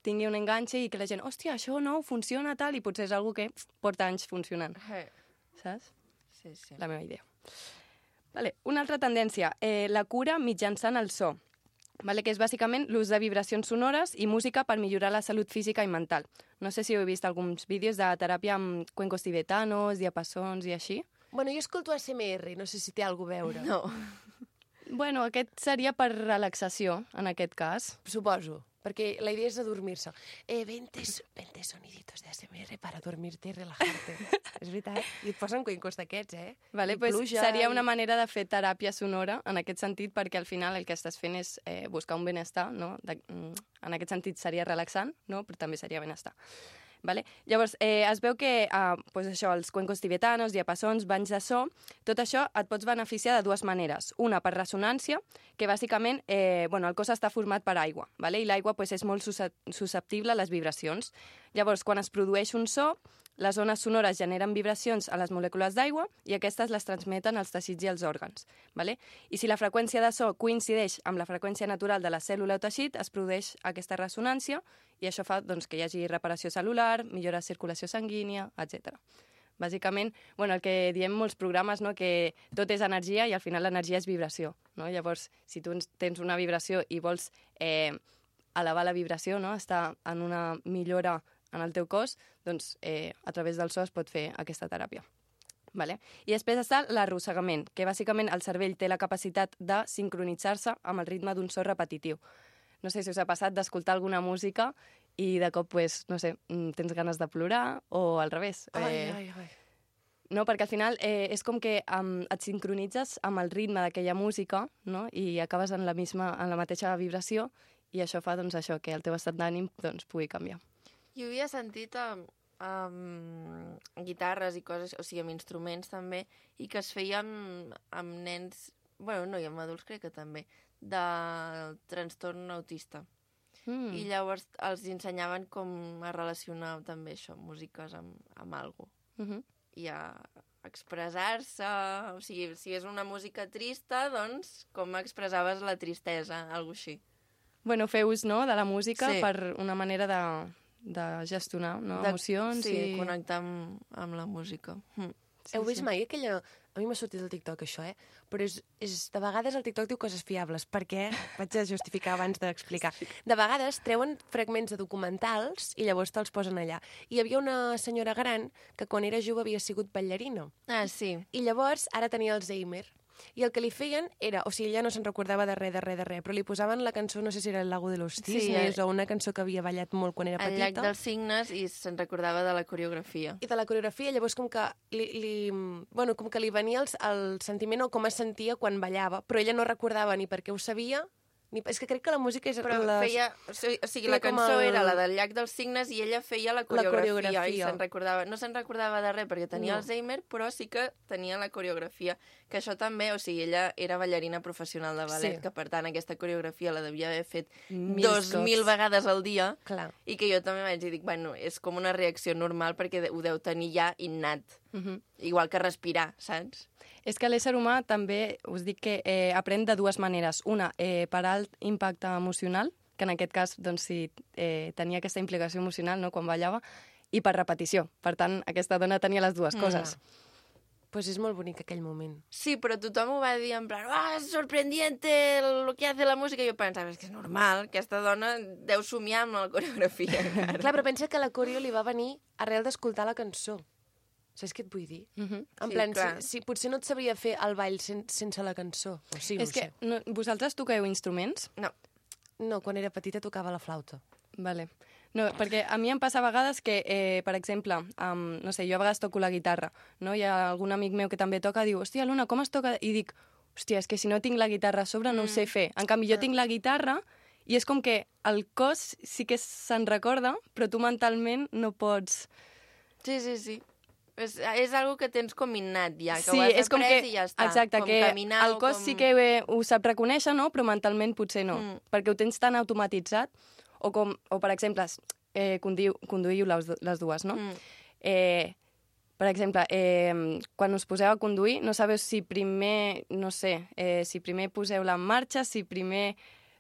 tingui un enganxe i que la gent, hòstia, això no, funciona tal, i potser és algo que porta anys funcionant, saps? Sí, sí. La meva idea. Vale, una altra tendència, la cura mitjançant el so, vale, que és bàsicament l'ús de vibracions sonores i música per millorar la salut física i mental. No sé si heu vist alguns vídeos de teràpia amb cuencos tibetanos, diapasons i així. Bueno, jo escolto ASMR, no sé si té alguna a veure. No. Bueno, aquest seria per relaxació, en aquest cas. Suposo. Perquè la idea és adormir-se. 20 soniditos de ASMR para dormirte y relajarte. És veritat. I et posen cuencos d'aquests, Vale, pues seria una manera de fer teràpia sonora en aquest sentit, perquè al final el que estàs fent és buscar un benestar, no? En aquest sentit seria relaxant, no? Però també seria benestar. Vale? Llavors, es veu que pues això, els cuencos tibetanos, diapasons, banys de so, tot això et pots beneficiar de dues maneres. Una, per ressonància, que bàsicament el cos està format per aigua, vale? I l'aigua pues, és molt susceptible a les vibracions. Llavors, quan es produeix un so, les ones sonores generen vibracions a les molècules d'aigua i aquestes les transmeten als teixits i als òrgans. Vale? I si la freqüència de so coincideix amb la freqüència natural de la cèl·lula o teixit, es produeix aquesta ressonància i això fa doncs, que hi hagi reparació cel·lular, millora de circulació sanguínia, etc. Bàsicament, el que diem molts programes, no? Que tot és energia i al final l'energia és vibració. No? Llavors, si tu tens una vibració i vols elevar la vibració, no? Estar en una millora en el teu cos, doncs a través del so es pot fer aquesta teràpia. Vale? I després està l'arrossegament, que bàsicament el cervell té la capacitat de sincronitzar-se amb el ritme d'un so repetitiu. No sé si us ha passat d'escoltar alguna música i de cop, tens ganes de plorar o al revés. Ai. No, perquè al final és com que et sincronitzes amb el ritme d'aquella música, no? I acabes en la mateixa vibració i això fa això, que el teu estat d'ànim pugui canviar. Jo havia sentit amb guitarres i coses, o sigui, amb instruments també, i que es feia amb nens, no, i amb adults crec que també, del trastorn autista. I llavors els ensenyaven com a relacionar també això, músiques amb alguna cosa. I a expressar-se, o sigui, si és una música trista, doncs com expressaves la tristesa, alguna cosa així. Fer ús, no?, de la música per una manera de gestionar emocions. Sí, connectar amb la música. Heu vist mai aquella... A mi m'ha sortit el TikTok, això, Però de vegades el TikTok diu coses fiables. Per què? Vaig a justificar abans d'explicar. De vegades treuen fragments de documentals i llavors te'ls posen allà. I hi havia una senyora gran que quan era jove havia sigut ballarina. Ah, sí. I llavors ara tenia Alzheimer. I el que li feien era... O sigui, ella no se'n recordava de res, però li posaven la cançó, no sé si era El lago de los cisnes, o una cançó que havia ballat molt quan era petita. El llac dels cignes, i se'n recordava de la coreografia. I de la coreografia, llavors com que li venia el sentiment o com es sentia quan ballava, però ella no recordava ni per què ho sabia, és que crec que la música és... Però feia... O sigui, la cançó era la del llac dels cignes i ella feia la coreografia. I no se'n recordava de res perquè tenia Alzheimer, però sí que tenia la coreografia. Que això també, o sigui, ella era ballarina professional de ballet, que per tant aquesta coreografia la devia haver fet 2.000 vegades al dia. Clar. I que jo també vaig dir, és com una reacció normal perquè ho deu tenir ja innat. Igual que respirar, saps? És que l'ésser humà també, us dic que aprèn de dues maneres. Una, per alt impacte emocional, que en aquest cas tenia aquesta implicació emocional, no?, quan ballava, i per repetició. Per tant, aquesta dona tenia les dues coses. Pues és molt bonic aquell moment. Sí, però tothom ho va dir en plan, és sorprendiente lo que hace la música. I jo pensava, és que és normal, aquesta dona deu somiar amb la coreografia. Clar, però pensa que la coreo li va venir arrel d'escoltar la cançó. Saps què et vull dir? En plan, potser no et sabria fer el ball sense la cançó. O sí, no és que vosaltres toqueu instruments? No. No, quan era petita tocava la flauta. Vale. No, perquè a mi em passa a vegades que, per exemple, no sé, jo a vegades toco la guitarra, no? Hi ha algun amic meu que també toca, diu, hòstia, Luna, com es toca? I dic, hòstia, és que si no tinc la guitarra a sobre no ho sé fer. En canvi, jo tinc la guitarra i és com que el cos sí que se'n recorda, però tu mentalment no pots... Sí. És algo que tens com innat ja, que sí, ho has après i ja està. Exacte, com que caminar, el cos sí que ho sap reconèixer, no? Però mentalment potser no, perquè ho tens tan automatitzat, o per exemple, conduïu les dues, no? Per exemple, quan us poseu a conduir, no sabeu si primer, si primer poseu la en marxa, si primer...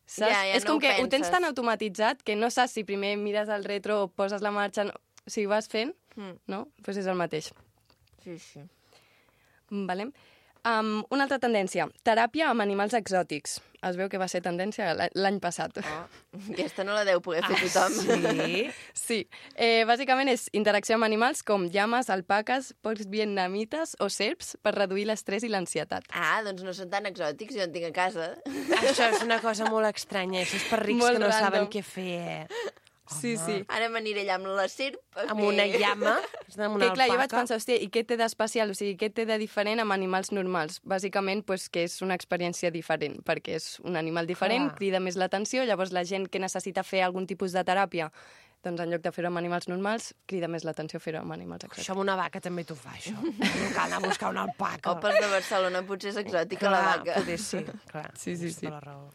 Saps? És com que ho tens tan automatitzat que no saps si primer mires al retro o poses la marxa... Si ho vas fent, no? Doncs és el mateix. Sí. Vale. Una altra tendència, teràpia amb animals exòtics. Es veu que va ser tendència l'any passat. Aquesta no la deu poder fer tothom. Sí? Sí. Bàsicament és interacció amb animals com llames, alpaques, porcs vietnamites o serps per reduir l'estrès i l'ansietat. Doncs no són tan exòtics, jo en tinc a casa. Això és una cosa molt estranya. Això és per rics Molt que no random. saben què fer. Sí, sí. Ara m'aniré allà amb la serp. Amb una llama, amb una Que clar, jo vaig alpaca. pensar, hòstia, i què té d'especial? O sigui, què té de diferent amb animals normals? Bàsicament, pues, que és una experiència diferent, perquè és un animal diferent, Clar. crida més l'atenció, llavors la gent que necessita fer algun tipus de teràpia, doncs en lloc de fer-ho amb animals normals, crida més l'atenció fer-ho amb animals exòtics. Això amb una vaca també t'ho fa, això. No cal anar a buscar una alpaca. O pels de Barcelona potser és exòtica la vaca. Poder sí, clar. Sí, sí, tens sí. tota la raó.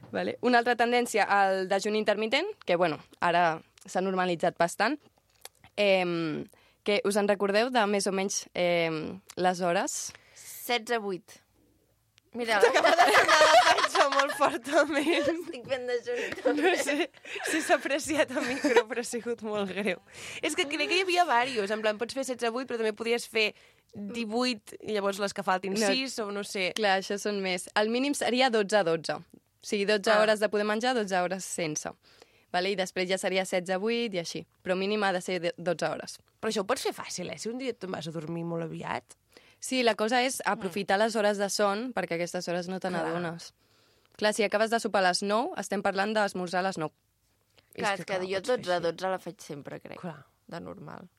Vale. Una altra tendència, el dejuni intermitent, que, bueno, ara s'ha normalitzat bastant, que us en recordeu de més o menys les hores? 16-8. Mira, T'acaba de donar la panxa molt fortament. estic fent dejuni No també. sé si s'ha apreciat el micro, però ha sigut molt greu. És que crec que hi havia diversos. En plan, pots fer 16-8, però també podies fer 18, i llavors les que faltin No. 6, o no sé. Clar, això són més. El mínim seria 12-12. O sigui, 12 hores de poder menjar, 12 hores sense. Vale? I després ja seria 16-8 i així. Però mínim ha de ser 12 hores. Però això ho pots fer fàcil, Si un dia te'n vas a dormir molt aviat... Sí, la cosa és aprofitar les hores de son, perquè aquestes hores no te n'adones. Clar, si acabes de sopar a les 9, estem parlant d'esmorzar a les 9. Clar, és que jo pots fer 12-12 la faig sempre, crec. Clar. De normal.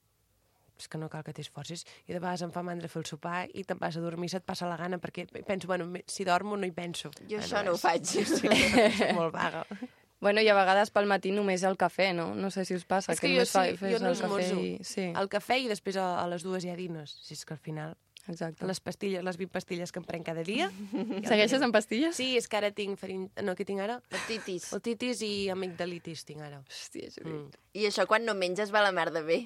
És que no cal que t'esforcis. I de vegades em fa mandra fer el sopar i te'n vas a dormir, se't passa la gana, perquè penso, bueno, si dormo no hi penso. Jo això no ho faig. Sí, soc molt vaga. Bueno, i a vegades pel matí només el cafè, no? No sé si us passa, És que jo només sí, fes jo no el cafè esmorzo. i... Sí, El cafè i després a les 2 hi ha dines. Si és que al final... exacte. Les pastilles, les 20 pastilles que em prenc cada dia... Segueixes amb pastilles? Sí, és que ara tinc No, què tinc ara? Otitis. Otitis i amigdalitis tinc ara. Hòstia, Judit. I això quan no menges va la merda bé.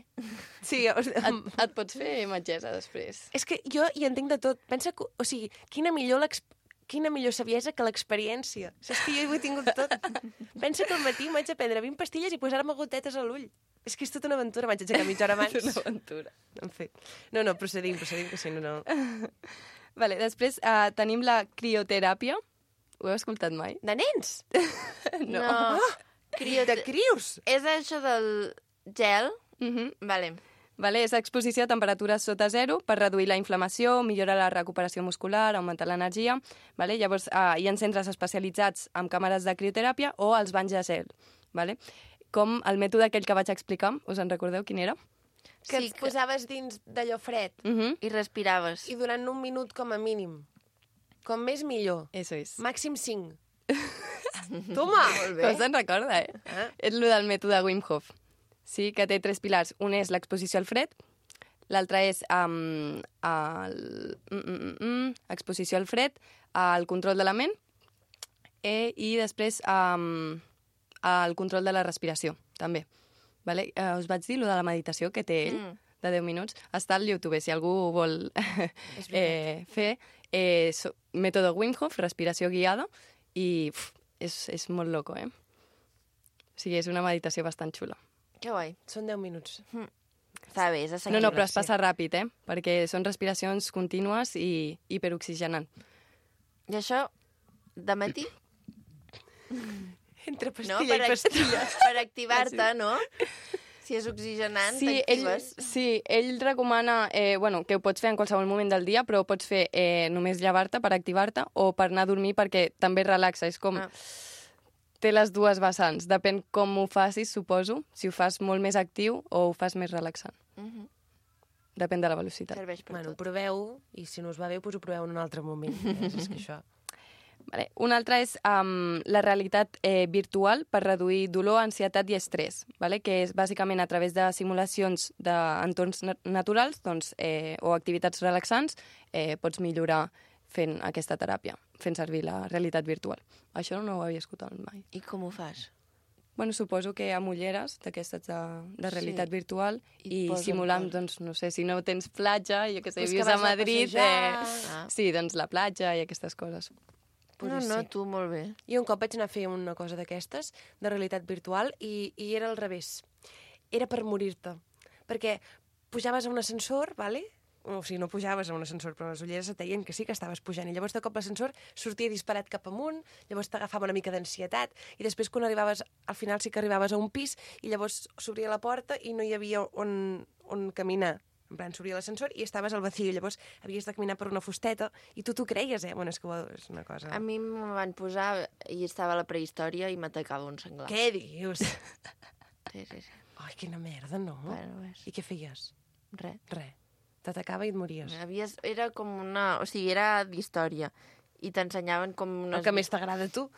Sí, Et pots fer metgessa després. és que jo hi entenc de tot. Pensa que, o sigui, quina millor saviesa que l'experiència. És que jo ho he tingut tot. Pensa que al matí m'haig de prendre 20 pastilles i posar-me gotetes a l'ull. És que és tota una aventura, m'haig d'aixecar mitja hora abans. És una aventura. En fi. No, procedim, que si no... Vale, després tenim la crioteràpia. Ho heu escoltat mai? De nens? No. De crios? És això del gel? Vale. Vale, és exposició a temperatures sota zero per reduir la inflamació, millorar la recuperació muscular, augmentar l'energia. Vale? Llavors, hi ha centres especialitzats amb càmeres de crioteràpia o els banys de gel. Vale? Com el mètode aquell que vaig explicar, us en recordeu quin era? Que Sí, et posaves dins d'allò fred I respiraves. i durant un minut com a mínim. Com més millor. Eso es. Màxim 5. Toma! Molt Però se'n recorda, eh? Ah. És el del mètode Wim Hof. Sí, que té 3 pilars. Un és l'exposició al fred, l'altre és exposició al fred, el control de la ment i després el control de la respiració, també. Vale? Us vaig dir lo de la meditació que té ell, de 10 minuts. Està al YouTube, si algú ho vol fer. Mètode Wim Hof, respiració guiada, i és molt loco, eh? O sigui, és una meditació bastant xula. Que guai. Són 10 minuts. Està bé, és No, assequible. no, però es passa ràpid, eh? Perquè són respiracions contínues i hiperoxigenant. I això, de matí? Entre No? pastilla i pastilla. Per activar-te, no? Si és oxigenant, t'actives. Ell recomana que ho pots fer en qualsevol moment del dia, però ho pots fer només llevar-te per activar-te o per anar a dormir perquè també relaxa. És com... Té les dues vessants. Depèn com ho facis, suposo. Si ho fas molt més actiu o ho fas més relaxant. Depèn de la velocitat. Serveix per Bueno, tot. proveu, i si no us va bé, doncs ho proveu en un altre moment. És que això... Vale. Un altre és la realitat virtual per reduir dolor, ansietat i estrès, vale? Que és bàsicament a través de simulacions d'entorns naturals o activitats relaxants pots millorar fent aquesta teràpia, fent servir la realitat virtual. Això no ho havia escoltat mai. I com ho fas? Bueno, suposo que amb ulleres d'aquestes de realitat Sí. virtual I i posen simulant, coses. doncs, no sé, si no tens platja, jo què sé, Pues que vius vas a a Madrid, passejar. sí, doncs la platja i aquestes coses. No, no, tu molt bé. Jo un cop vaig anar a fer una cosa d'aquestes, de realitat virtual, i era al revés. Era per morir-te. Perquè pujaves a un ascensor, vale? o sigui, no pujaves a un ascensor, però les ulleres et deien que sí que estaves pujant. I llavors de cop l'ascensor sortia disparat cap amunt, llavors t'agafava una mica d'ansietat, i després quan arribaves, al final sí que arribaves a un pis, i llavors s'obria la porta i no hi havia on caminar. En plan, s'obria l'ascensor i estaves al vacío, llavors havies de caminar per una fusteta, i tu t'ho creies, Bueno, és que és una cosa... A mi me van posar i estava a la prehistòria i m'atacava un senglar. Què dius? Sí. Ai, quina merda, no? Bueno, és... I què feies? Res. Res. T'atacava i et mories. Era com una... O sigui, era d'història. I t'ensenyaven com unes... El que més t'agrada a tu?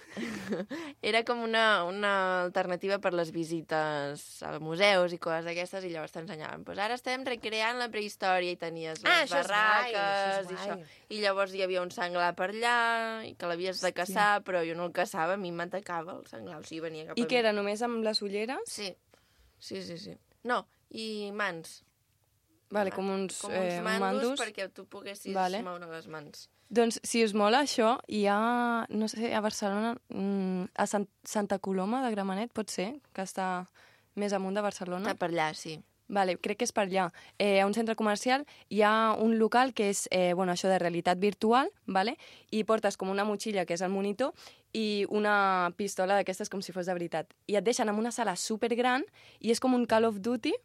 Era com una alternativa per les visites a museus i coses d'aquestes, i llavors t'ensenyaven. Pues ara estem recreant la prehistòria i tenies les barraques i això. I llavors hi havia un senglar per allà i que l'havies de caçar, però jo no el caçava, a mi m'atacava el senglar, o sigui, venia cap a mi. I què era, només amb les ulleres? Sí. No, i mans. Vale, com uns mandos perquè tu poguessis moure les mans. Doncs, si us mola això, hi ha, no sé, a Barcelona, a Santa Coloma de Gramenet, pot ser, que està més amunt de Barcelona. Està per allà, sí. Vale, crec que és per allà. A un centre comercial hi ha un local que és això de realitat virtual, vale? I portes com una motxilla, que és el monitor, i una pistola d'aquestes com si fos de veritat. I et deixen en una sala supergran i és com un Call of Duty,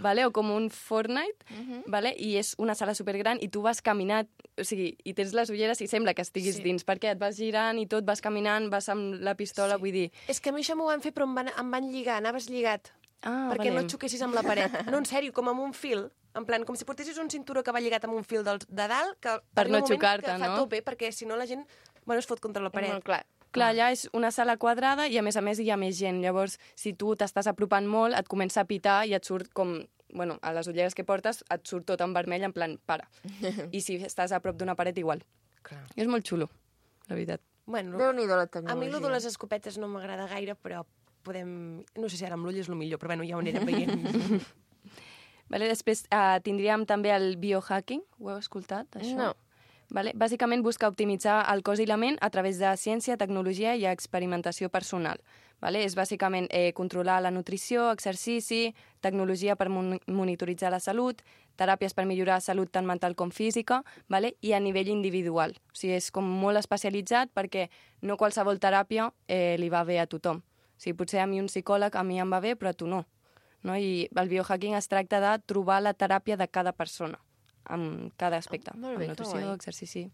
vale? O com un Fortnite, vale? I és una sala supergran i tu vas caminant, o sigui, i tens les ulleres i sembla que estiguis dins, perquè et vas girant i tot, vas caminant, vas amb la pistola, vull dir... És que a mi això m'ho van fer, però em van lligar, anaves lligat, perquè no et xoquessis amb la paret. No, en sèrio, com amb un fil, en plan, com si portessis un cinturó que va lligat amb un fil de dalt, que per no xocar-te, no? Que fa tope, perquè si no la gent, es fot contra la paret. Clar, allà és una sala quadrada i a més hi ha més gent. Llavors, si tu t'estàs apropant molt, et comença a pitar i et surt com... Bueno, a les ulleres que portes et surt tot en vermell, en plan, para. I si estàs a prop d'una paret, igual. Clar. I és molt xulo, la veritat. Bueno, Déu-n'hi-do la tecnologia. A mi lo de les escopetes no m'agrada gaire, però podem... No sé si ara amb l'ull és el millor, però bueno, ja ho anirem veient. Vale, després tindríem també el biohacking. Ho heu escoltat, això? No. Vale? Bàsicament busca optimitzar el cos i la ment a través de ciència, tecnologia i experimentació personal. Vale? És bàsicament controlar la nutrició, exercici, tecnologia per monitoritzar la salut, teràpies per millorar salut tant mental com física, vale? I a nivell individual. O sigui, és com molt especialitzat perquè no qualsevol teràpia li va bé a tothom. O sigui, potser a mi un psicòleg a mi em va bé, però a tu no. I el biohacking es tracta de trobar la teràpia de cada persona, amb cada aspecte, amb nutrició, exercici...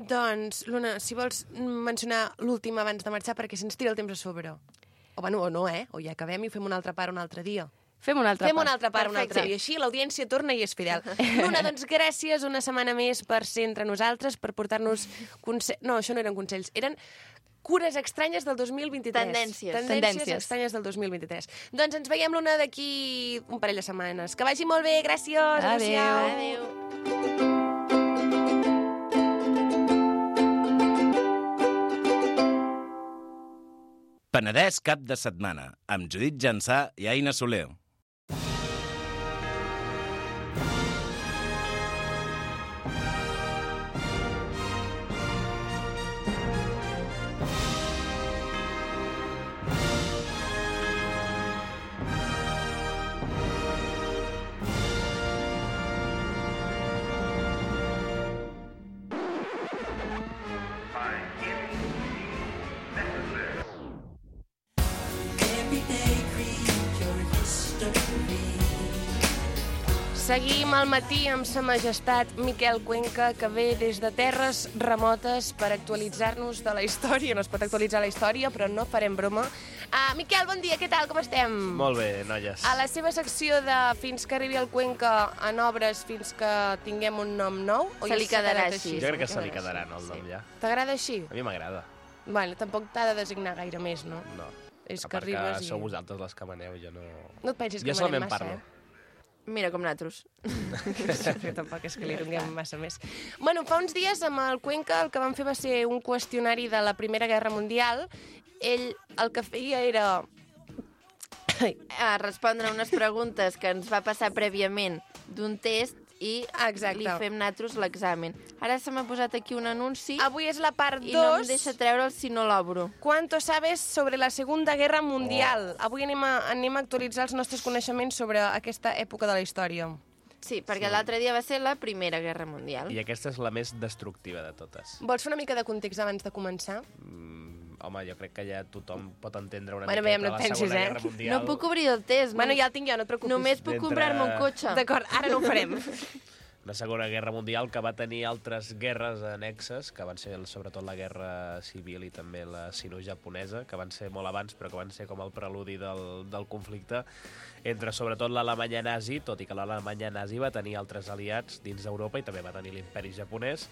Doncs, Luna, si vols mencionar l'últim abans de marxar, perquè se'ns tira el temps a sobre. O bueno, o no, o ja acabem i ho fem una altra part un altre dia. Fem una altra part un altre dia. Així l'audiència torna i és fidel. Luna, doncs gràcies una setmana més per ser entre nosaltres, per portar-nos... No, això no eren consells, eren cures estranyes del 2023. Tendències estranyes del 2023. Doncs ens veiem, Luna, d'aquí un parell de setmanes. Que vagi molt bé, gràcies. Adéu. Penedès cap de setmana, amb Judit Jansà i Aina Soler. Seguim al matí amb sa majestat Miquel Cuenca, que ve des de terres remotes per actualitzar-nos de la història. No es pot actualitzar la història, però no farem broma. Miquel, bon dia, què tal, com estem? Molt bé, noies. A la seva secció de Fins que arribi el Cuenca en obres fins que tinguem un nom nou? Se li quedarà així. Jo crec que se li quedarà el nom ja. T'agrada així? A mi m'agrada. Bueno, tampoc t'ha de designar gaire més, no? No. És a que part que arribes sou vosaltres les que maneu, jo no... No et pensis que jo manem solament massa, parlo. Mira com nosaltres. Però tampoc és que li donem massa més. Bueno, fa uns dies amb el Cuenca el que vam fer va ser un qüestionari de la Primera Guerra Mundial. Ell el que feia era... respondre unes preguntes que ens va passar prèviament d'un test i li fem nosaltres l'examen. Ara se m'ha posat aquí un anunci. Avui és la part 2. I no em deixa treure'l si no l'obro. ¿Cuánto sabes sobre la Segunda Guerra Mundial? Avui anem a actualitzar els nostres coneixements sobre aquesta època de la història. Sí, perquè l'altre dia va ser la Primera Guerra Mundial. I aquesta és la més destructiva de totes. Vols fer una mica de context abans de començar? Home, jo crec que ja tothom pot entendre una Bueno, miqueta veiem, no la et pensis, Segona eh? Guerra Mundial. No puc obrir el test. Bueno, ja el tinc jo, no et preocupis. Només puc D'entre- comprar-me un cotxe. D'acord, ara no ho farem. Una Segona Guerra Mundial que va tenir altres guerres annexes, que van ser sobretot la Guerra Civil i també la sino-japonesa, que van ser molt abans, però que van ser com el preludi del conflicte entre sobretot l'Alemanya nazi, tot i que l'Alemanya nazi va tenir altres aliats dins d'Europa i també va tenir l'imperi japonès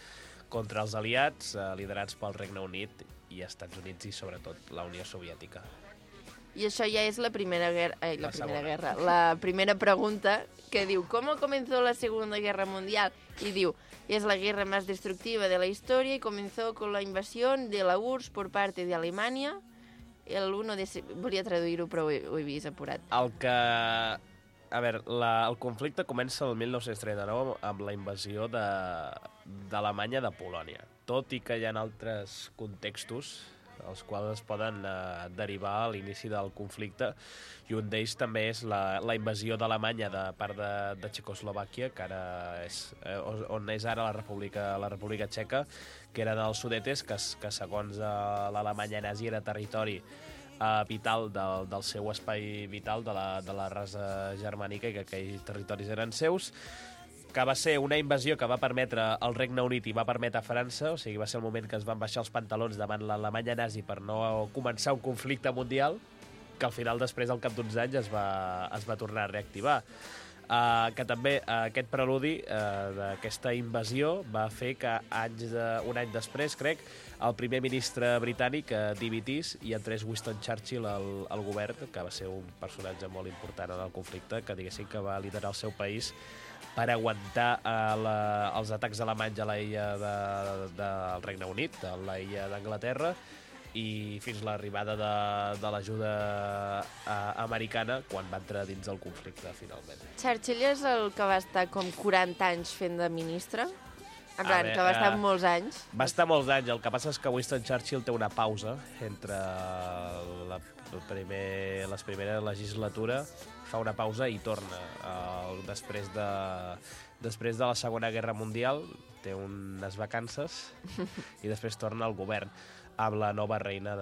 contra els aliats liderats pel Regne Unit i Estats Units i sobretot la Unió Soviètica. I això ja és la primera guerra... La segona. La primera pregunta que diu ¿Cómo comenzó la Segunda Guerra Mundial? Y diu, es la guerra más destructiva de la historia y comenzó con la invasión de la URSS por parte de Alemania el 1 de... Volia traduir-ho, però ho he vist apurat. El que... A veure, el conflicte comença el 1939 amb la invasió d'Alemanya de Polònia. Tot i que hi ha altres contextos els quals es poden derivar a l'inici del conflicte, i un d'ells també és la invasió d'Alemanya de part de Txecoslovàquia, que ara és on és ara la República Txeca, que eren els Sudetes, que segons l'Alemanya nazi era territori vital del seu espai vital, de la raça germànica, i que aquells territoris eren seus, que va ser una invasió que va permetre al Regne Unit i va permetre a França, o sigui, va ser el moment que es van baixar els pantalons davant l'Alemanya nazi per no començar un conflicte mundial, que al final, després, al cap d'uns anys, es va tornar a reactivar. Que també aquest preludi d'aquesta invasió va fer que un any després, crec, el primer ministre britànic dimitís i entrés Winston Churchill al govern, que va ser un personatge molt important en el conflicte, que diguéssim que va liderar el seu país per aguantar els atacs alemanys a l'illa del Regne Unit, a l'illa d'Anglaterra, i fins l'arribada de l'ajuda americana quan va entrar dins del conflicte, finalment. Churchill és el que va estar com 40 anys fent de ministre? En plan, veure, que va estar molts anys? Va estar molts anys. El que passa és que Winston Churchill té una pausa entre la primera legislatura, fa una pausa i torna. Després de la Segona Guerra Mundial té unes vacances i després torna al govern amb la nova reina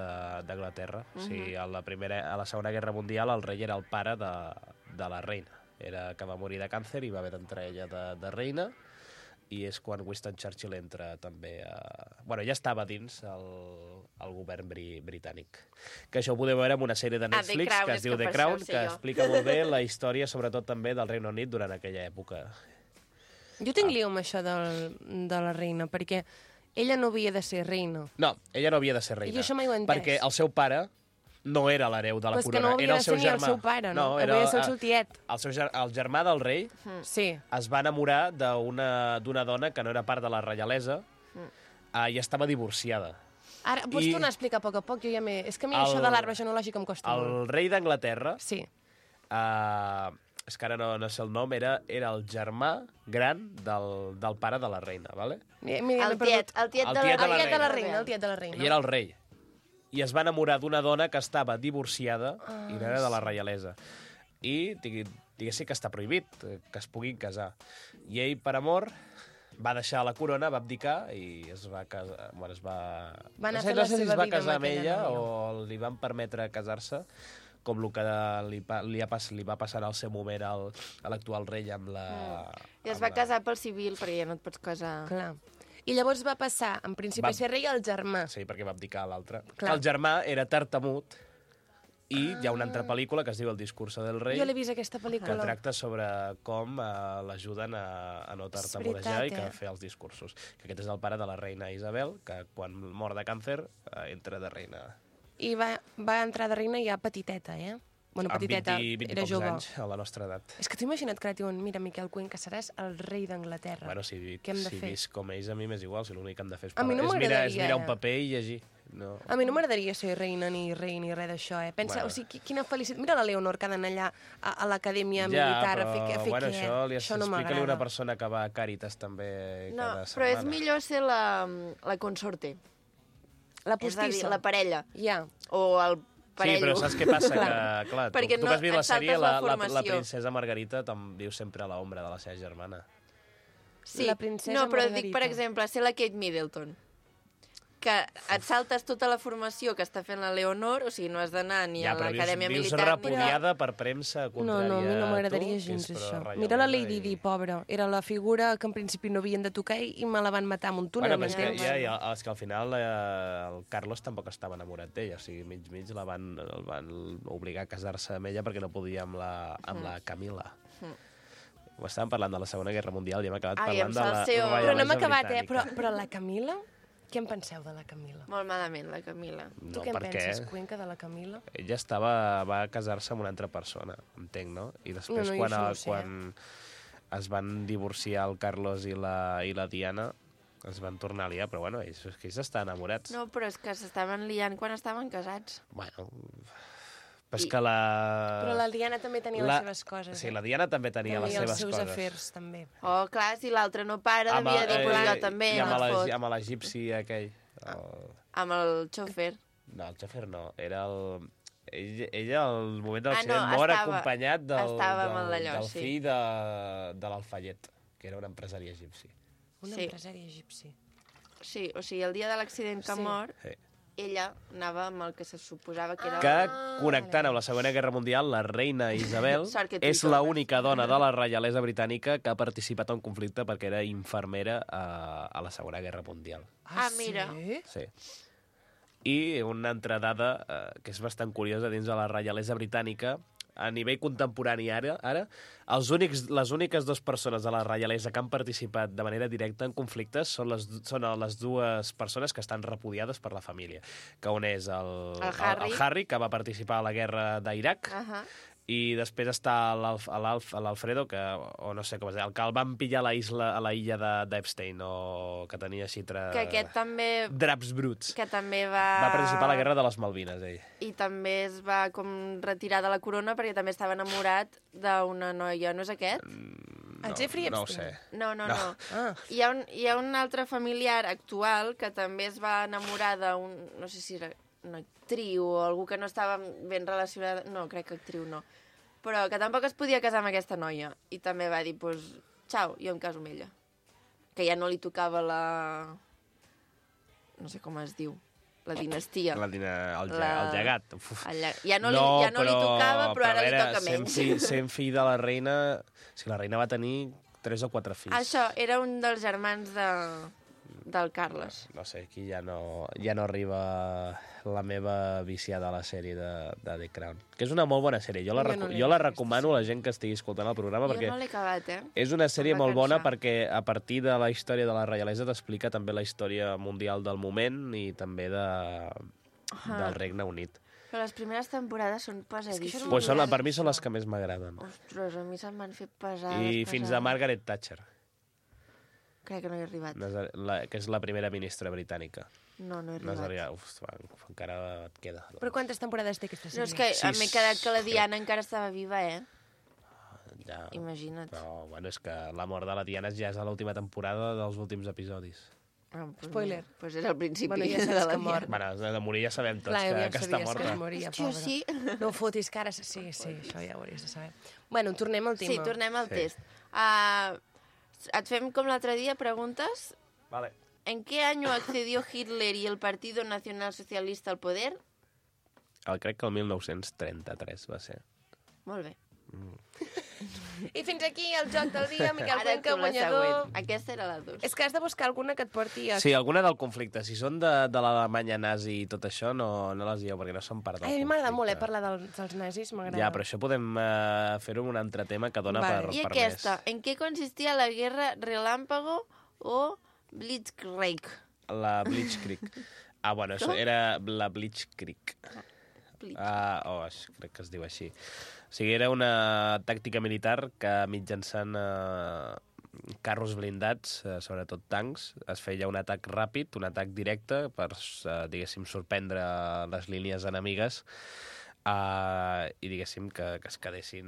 d'Anglaterra. O sigui, a la Segona Guerra Mundial el rei era el pare de la reina. Que va morir de càncer i va haver d'entrar ella de reina, i és quan Winston Churchill entra també Bueno, ja estava dins el govern britànic. Que això ho podeu veure en una sèrie de Netflix Crown, que es diu The Crown, que explica molt bé la història, sobretot també del Regne Unit durant aquella època. Jo tinc lío amb això de la reina, perquè ella no havia de ser reina. No, ella no havia de ser reina. I això mai ho he entès. Perquè el seu pare no era l'hereu de la Però és que corona, no havia era de el ser seu ni germà. el seu pare, no? Era Havia de ser el seu tiet. El germà del rei Sí. es va enamorar d'una dona que no era part de la reialesa i estava divorciada. Ara, pots tornar a explicar a poc, jo ja m'he... És que a mi això de l'arbre genològic em costa molt. El rei d'Anglaterra, Sí. és que ara no sé el nom, era el germà gran del pare de la reina, ¿vale? Mira, El tiet de la reina. El tiet de la reina. I era el rei. I es va enamorar d'una dona que estava divorciada i no era de la reialesa. I diguéssim que està prohibit que es puguin casar. I ell, per amor, va deixar la corona, va abdicar i es va casar... Bueno, Va anar a no fer sé la si es seva va vida casar amb amb ella aquella o li van permetre casar-se, com el que li va passar al seu moment a l'actual rei amb la... I es va casar pel civil, perquè ja no et pots casar... Clar. I llavors va passar, en principi, a ser rei al germà. Sí, perquè va abdicar a l'altre. Clar. El germà era tartamut i hi ha una altra pel·lícula que es diu El discurso del rei, Jo l'he vist, aquesta que pel·lícula. tracta sobre com l'ajuden a no tartamudejar i que fer els discursos. Que aquest és el pare de la reina Isabel, que quan mor de càncer entra de reina. I va entrar de reina ja petiteta, Bueno, petiteta, amb 20 era pocs jove. anys, a la nostra edat. És que t'ho imagina't que ara diuen, mira, Miquel Cuenca, seràs el rei d'Anglaterra. Bueno, si Què hem de fer? visc com ells, a mi m'és igual, si l'únic que hem de fer A mi no és m'agradaria, mirar un paper i llegir. No. A mi no m'agradaria ser reina ni rei ni res d'això, Pensa, Bueno. o sigui, quina felicitat. Mira la Leonor que ha d'anar allà a l'acadèmia militar a fer bueno, què. això li Això no explica-li una m'agrada. persona que va a Càritas també No, cada però setmana. és millor ser la consorte. La És a dir, postissa. la parella. Ja. O el parello. Sí, però saps què passa? Que, clar, Perquè tu no que has vist la et saltes sèrie, la la formació. princesa Margarita viu sempre a l'ombra de la seva germana. Sí. La princesa no, però Margarita. dic, per exemple, ser la Kate Middleton. Que et saltes tota la formació que està fent la Leonor, o sigui, no has d'anar ni a l'acadèmia vius militar... repudiada per premsa No, contrària no, a mi no a m'agradaria tu, que gens és això. reialesa Mira la Lady Di, pobra. Era la figura que en principi no havien de tocar i me la van matar amb un túnel. Bueno, però és que, m'entens? és que al final el Carlos tampoc estava enamorat d'ella, o sigui, mig el van obligar a casar-se amb ella perquè no podia amb la Camila. Ho estàvem parlant de la Segona Guerra Mundial i hem acabat parlant de la Salseo. Però no hem reialesa acabat, britànica. Però la Camila? Què en penseu de la Camila? Molt malament, la Camila. Tu què en penses, Cuenca, de la Camila? Ella va casar-se amb una altra persona, entenc, no? I després, No, jo això no ho sé. quan es van divorciar el Carlos i la Diana, es van tornar a liar, però bueno, ells estan enamorats. No, però és que s'estaven liant quan estaven casats. Bueno, però és que la... Però la Diana també tenia les seves coses. Sí, la Diana també tenia les seves els seus coses. afers, també. Oh, clar, si l'altre no para, devia dir, pues jo també, I no et fot. amb l'egipci aquell. Amb el xòfer. No, el xòfer no, era el... Ella, al moment de l'accident, no, mor estava- acompanyat estava amb el d'allò, del sí. fill de l'Alfayet, que era un empresari egipci. Un Sí. empresari egipci. Sí, o sigui, el dia de l'accident que Sí. mor, Sí. ella anava amb el que se suposava que era... Que, connectant amb la Segona Guerra Mundial, la reina Isabel Sort que tu hi és tornes. l'única dona de la reialesa britànica que ha participat en un conflicte perquè era infermera a la Segona Guerra Mundial. Ah, mira. Sí? Sí. I una altra dada que és bastant curiosa dins de la reialesa britànica, a nivell contemporani ara les úniques dues persones de la reialesa que han participat de manera directa en conflictes són les dues persones que estan repudiades per la família, que un és el Harry, que va participar a la guerra d'Iraq, i després està l'Alfredo, o no sé com es diu, el que el van pillar a la illa d'Epstein, o que tenia així Que aquest també... draps bruts. Que també va... Va participar a la guerra de les Malvines, ell. I també es va com retirar de la corona perquè també estava enamorat d'una noia. No és aquest? El Jeffrey No ho Epstein. No. Ah. Hi ha un altre familiar actual que també es va enamorar d'un... No sé si era una actriu o algú que no estava ben relacionada... No, crec que actriu no. Però que tampoc es podia casar amb aquesta noia. I també va dir, pues, xau, jo em caso amb ella. Que ja no li tocava la... No sé com es diu. La dinastia. El llegat. Uf. Ja no li tocava, però ara li toca menys. Sent fill de la reina... Si la reina va tenir 3 o 4 fills. Això, era un dels germans del Carles. No sé, aquí ja no arriba la meva viciada a la sèrie de The Crown. Que és una molt bona sèrie. Jo la recomano a la gent que estigui escoltant el programa perquè... Jo no l'he acabat, És una sèrie Em va molt bona cansar. perquè a partir de la història de la reialesa t'explica també la història mundial del moment i també del Regne Unit. Però les primeres temporades són pesadíssimes. Pues per mi són les que més m'agraden. Ostres, a mi se'm van fer pesades. I fins a Margaret Thatcher, Crec que no he arribat. que és la primera ministra britànica. No he No has arribat. arribat. Encara et queda. Però quantes temporades té aquesta No, sèrie? és que m'he quedat que la Sis, Diana encara estava viva, Ja. Imagina't. Però, bueno, és que la mort de la Diana ja és a l'última temporada dels últims episodis. Spoiler. Pues era el principi Bueno, ja de saps la que mor. Bueno, de morir ja sabem tots Clar, ja que està sabies morta. que es moria, Hòstia, pobra. sí. No ho fotis, que ara... Sí, això ja ho hauries de saber. Bueno, tornem al tema. Sí, tornem al Sí. test. Et fem com l'altre dia preguntes. Vale. ¿En qué año accedió Hitler y el Partido Nacional Socialista al poder? Crec que el 1933 va ser. Molt bé. I fins aquí el joc del dia, Miquel Ara Cuenca, tu la guanyador. següent. Aquesta era la 2. És que has de buscar alguna que et porti a... Sí, alguna del conflicte. Si són de l'Alemanya nazi i tot això, no les dieu, perquè no són part del Ai, a mi conflicte. m'agrada molt, parlar dels nazis, m'agrada. Ja, però això podem fer-ho en un altre tema que dona Vale. I per aquesta, ¿en qué consistía la guerra relámpago o Blitzkrieg? més. La Blitzkrieg. Bueno, això era la Blitzkrieg. Crec que es diu així. O sigui, era una tàctica militar que mitjançant carros blindats, sobretot tancs, es feia un atac ràpid, un atac directe per, diguéssim, sorprendre les línies enemigues i, diguéssim, que es quedessin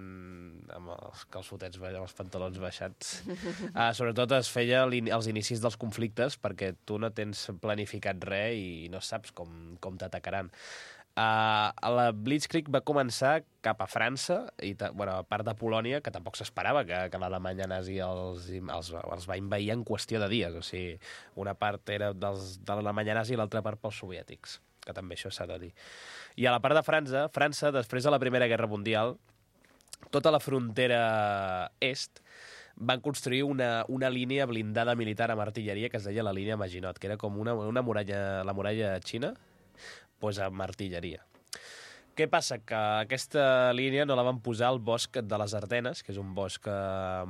amb els calçotets, amb els pantalons baixats. Sobretot es feia als inicis dels conflictes perquè tu no tens planificat res i no saps com t'atacaran. La Blitzkrieg va començar cap a França, a part de Polònia, que tampoc s'esperava que l'Alemanya nazi els va invair en qüestió de dies. O sigui, una part era de l'Alemanya nazi i l'altra part pels soviètics, que també això s'ha de dir. I a la part de França, després de la Primera Guerra Mundial, tota la frontera est van construir una línia blindada militar amb artilleria que es deia la línia Maginot, que era com una muralla, la muralla xina, doncs amb artilleria. Què passa? Que aquesta línia no la van posar al bosc de les Ardenes, que és un bosc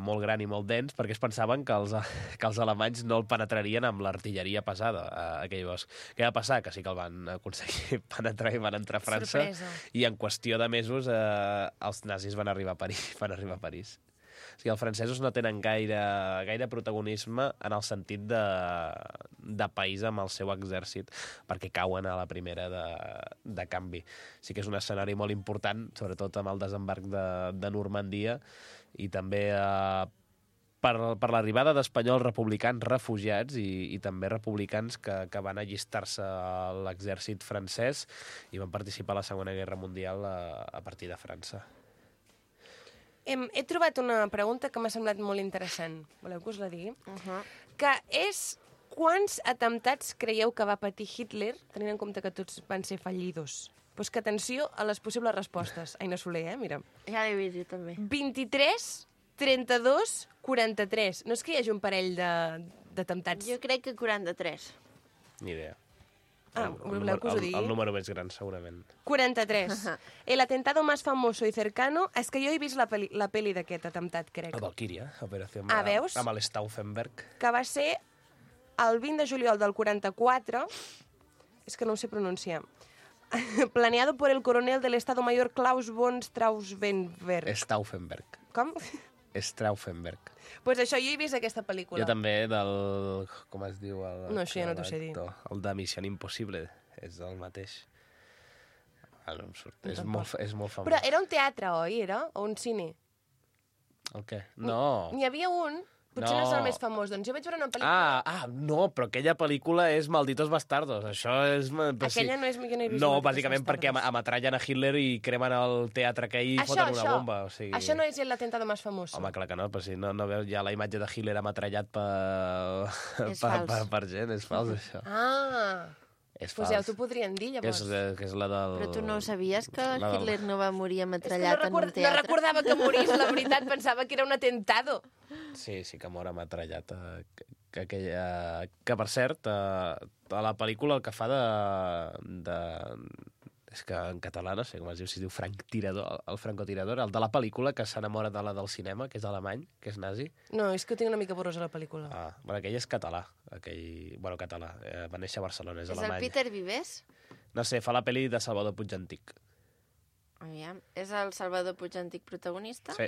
molt gran i molt dens, perquè es pensaven que els alemanys no el penetrarien amb l'artilleria pesada, aquell bosc. Què va passar? Que sí que el van aconseguir penetrar i van entrar a França. Sorpresa. I en qüestió de mesos els nazis van arribar a París. O sigui, els francesos no tenen gaire protagonisme en el sentit de país amb el seu exèrcit, perquè cauen a la primera de canvi. Sí que és un escenari molt important, sobretot amb el desembarc de Normandia, i també per l'arribada d'espanyols republicans refugiats i també republicans que van allistar-se a l'exèrcit francès i van participar a la Segona Guerra Mundial a partir de França. He trobat una pregunta que m'ha semblat molt interessant. Voleu que us la digui? Que és: quants atemptats creieu que va patir Hitler, tenint en compte que tots van ser fallidos? Pues que atenció a les possibles respostes. Aina Soler, mira. Ja l'he vist, jo també. 23, 32, 43. No és que hi hagi un parell d'atemptats. Jo crec que 43. Ni idea. Voleu que us ho digui? El número més gran, segurament. 43. El atentado más famoso y cercano... És que jo he vist la pel·li d'aquest atemptat, crec. El Valkyria, operació veus? amb l'Stauffenberg. Que va ser el 20 de juliol del 44... És que no ho sé pronunciar. Planeado por el coronel del Estado Mayor Klaus von Stauffenberg. Stauffenberg. Com? Stauffenberg. Pues això, jo he vist aquesta pel·lícula. Jo també del... Com es diu? No, això ja no t'ho sé dir. El de Missió Impossible. És el mateix. No em surt. És molt famós. Però era un teatre, oi? O un cine? El què? No. N'hi havia un... Potser no és el més famós. Doncs jo vaig veure una pel·lícula... No, però aquella pel·lícula és Malditos Bastardos. Això és... Aquella no és... Jo no he vist No, Malditos bàsicament perquè ametrallen a Hitler i cremen el teatre aquell i foten una bomba. O sigui... Això no és l'atentado més famós. Home, clar que no, però si no veus ja la imatge de Hitler ametrallat per gent. És fals, això. És pues fals. ja t'ho podrien dir, llavors. Que és la del... Però tu no sabies que Hitler no va morir ametrallat en un teatre? No recordava que morís, la veritat. Pensava que era un atentado. Sí que mor ametrallat. Que per cert, a la pel·lícula el que fa és que en català no sé com es diu, si es diu el francotirador, el de la pel·lícula que s'enamora de la del cinema, que és alemany, que és nazi. No, és que ho tinc una mica borrosa, la pel·lícula. Aquell és català. Català. Va néixer a Barcelona, és alemany. És el Peter Vives? No sé, fa la pel·li de Salvador Puig Antic. Aviam, és el Salvador Puig Antic protagonista? Sí.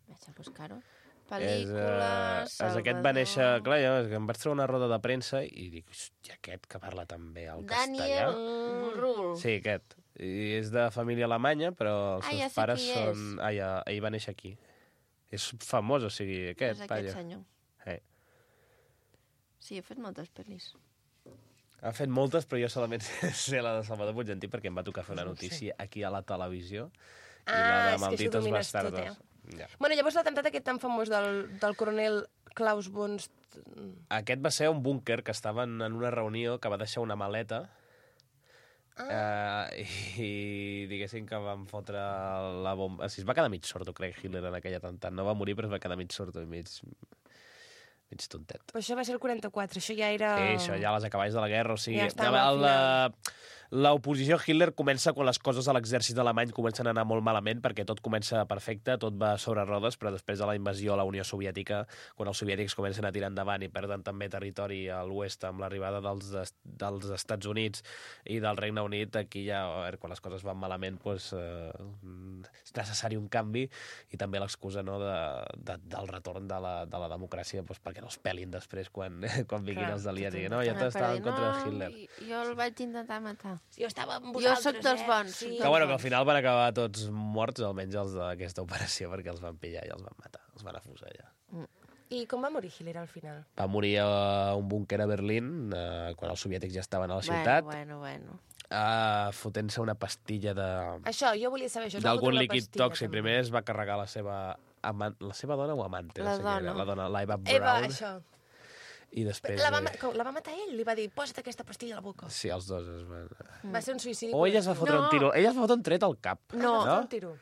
Vaig a buscar-ho. Pel·lícula, Salvador... Aquest va néixer... Clar, jo em vaig trobar una roda de premsa i dic, hòstia, aquest que parla també el castellà. Daniel Brühl. Sí, aquest. I és de família alemanya, però els seus pares són... Ell va néixer aquí. És famós, o sigui, aquest. És aquest senyor. Sí, he fet moltes pel·lis. Ha fet moltes, però jo solament sé la de Salvador Puig Antic perquè em va tocar fer una notícia aquí a la televisió. I la de Malditos Bastardos. Ja. Bueno, llavors l'atemptat aquest tan famós del coronel Klaus von... Aquest va ser un búnquer que estaven en una reunió que va deixar una maleta i diguéssim que van fotre la bomba... Es va quedar mig sordo, crec, Hitler, en aquell atemptat. No va morir, però es va quedar mig sordo i mig tontet. Però això va ser el 44, això ja era... Sí, això ja a les acaballes de la guerra, o sigui... Ja estava al final. L'oposició a Hitler comença quan les coses a l'exèrcit alemany comencen a anar molt malament, perquè tot comença perfecte, tot va sobre rodes, però després de la invasió a la Unió Soviètica, quan els soviètics comencen a tirar endavant i perden també territori a l'oest amb l'arribada dels Estats Units i del Regne Unit, aquí ja, quan les coses van malament, doncs, és necessari un canvi i també l'excusa del retorn de la democràcia perquè no els pelin després quan vinguin els aliats i no, ja estava en contra de Hitler. Jo el vaig intentar matar. Jo estava amb vosaltres, Jo soc dels bons. Sí. Que bueno, que al final van acabar tots morts, almenys els d'aquesta operació, perquè els van pillar i els van matar, els van afusellar. I com va morir Hitler al final? Va morir a un búnquer a Berlín, quan els soviètics ja estaven a la ciutat. Bueno. fotent-se una pastilla Això, jo volia saber això. d'algun líquid tòxic. Primer es va carregar la seva dona o amante? La dona. La dona, la Eva Eva, Brown. això. I després... La va matar ell, li va dir, posa't aquesta pastilla a la boca. Sí, els dos es van... Va ser un suïcidi. O ella es va fotre un tiro. Ella es va fotre un tret al cap. No. Va fer un tiro.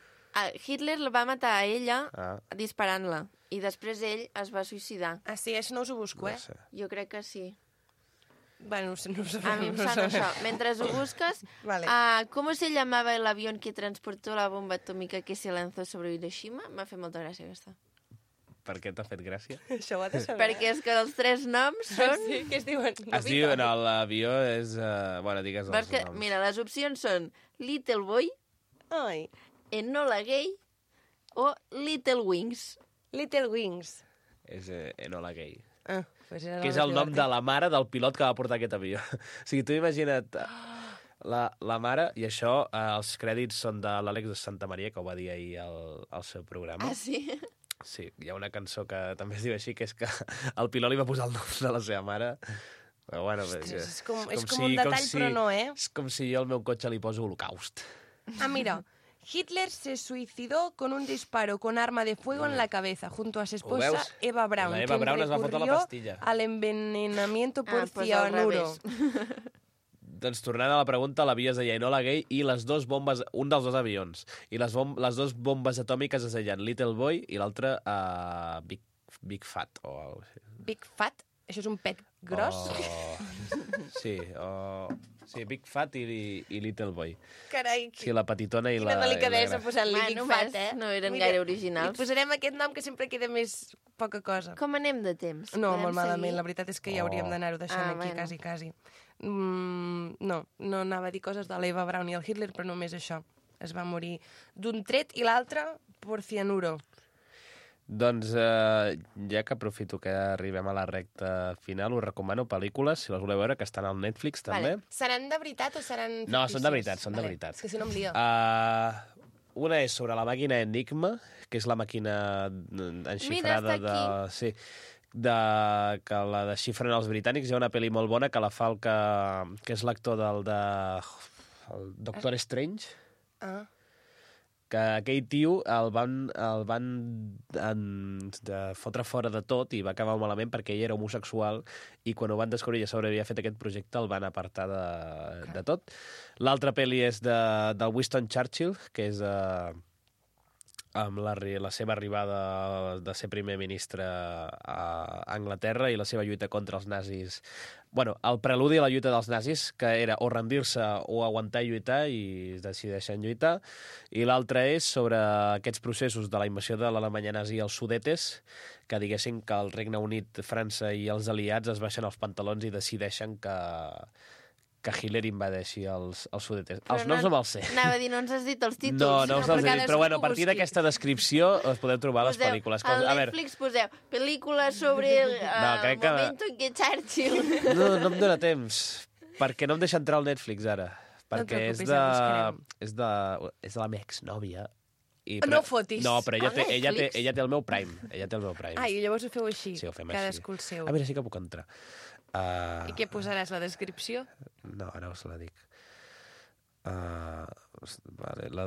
Hitler la va matar a ella Ah. disparant-la. I després ell es va suïcidar. Ah, sí, això no us ho busco, No sé. Jo crec que sí. Bueno, no ho sabem. A mi em sona això. Mentre ho busques, Vale. ¿cómo se llamaba el avión que transportó la bomba atómica que se lanzó sobre Hiroshima? M'ha fet molta gràcia, aquesta. Per què t'ha fet gràcia? Això ho ha de saber. Perquè és que els 3 noms són... Sí, què es diuen? Es diu, no, l'avió és... Bueno, digues els Perquè, noms. mira, les opcions són Little Boy, Ai, Enola Gay o Little Wings. Little Wings. És Enola Gay. Ah, pues era Que és el nom de la mare del pilot que va portar aquest avió. O sigui, tu imagina't la mare, i això, els crèdits són de l'Àlex de Santa Maria, que ho va dir ahir al seu programa. Ah, sí? Sí, hi ha una cançó que també es diu així, que és que el pilot li va posar el nom de la seva mare. Però bueno, Ostres, és com un detall, però no, eh? És com si jo al meu cotxe li poso Holocaust. Ah, mira. Hitler se suicidó con un disparo con arma de fuego en la cabeza junto a su esposa veus? Eva Braun, La Eva quien Braun es va fotre la recurrió pastilla. al envenenamiento por pues al cianuro. revés. Doncs tornant a la pregunta, l'avió es deia Enola Gay i les dues bombes, un dels dos avions, i les dues bombes atòmiques es deien Little Boy i l'altre Big Fat o alguna cosa així. Big Fat? Això és un pet gros? Sí, Big Fat i Little Boy. Carai, Sí, la petitona i quina la... delicadesa posant-li Bueno, Big Fat, ves, eh? no eren gaire originals. Li posarem aquest nom que sempre queda més poca cosa. Com anem de temps? No, Podem molt malament. seguir? La veritat és que ja hauríem d'anar-ho deixant aquí, bueno. quasi. No anava a dir coses de l'Eva Braun i el Hitler, però només això. Es va morir d'un tret i l'altre per cianuro. Doncs ja que aprofito que arribem a la recta final, us recomano pel·lícules, si les voleu veure, que estan al Netflix també. Vale. Seran de veritat o seran fictícies? No, són de veritat, són de veritat. És que si no em lio. Una és sobre la màquina Enigma, que és la màquina enxifrada Mira, està Sí, que la desxifren els britànics. Hi ha una pel·li molt bona que la fa el que és l'actor el Doctor Strange, Ah. que aquell tio el van fotre fora de tot i va acabar malament perquè ell era homosexual i quan ho van descobrir ja s'hauria fet aquest projecte el van apartar de tot. L'altra pel·li és del Winston Churchill, que és amb la seva arribada de ser primer ministre a Anglaterra i la seva lluita contra els nazis. Bueno, el preludi a la lluita dels nazis, que era o rendir-se o aguantar i lluitar, i es decideixen lluitar. I l'altre és sobre aquests processos de la invasió de l'Alemanya nazi als Sudetes, que diguéssim que el Regne Unit, França i els aliats es baixen els pantalons i decideixen que Hitler invadeixi els Sudetes. Els noms no me'ls sé. Anava a dir, no ens has dit els títols. No us els he dit, però bueno, a partir d'aquesta descripció us podeu trobar les pel·lícules. Al Netflix poseu pel·lícula sobre el moment en què Churchill... No em dóna temps, perquè no em deixa entrar al Netflix ara. Perquè és de la meva exnòvia. No fotis. No, però ella té el meu Prime. Ella té el meu Prime. I llavors ho feu així. Sí, ho fem Cadascú el així. seu. A veure, sí que puc entrar. I què posaràs, la descripció? No, ara us la dic. Vale, la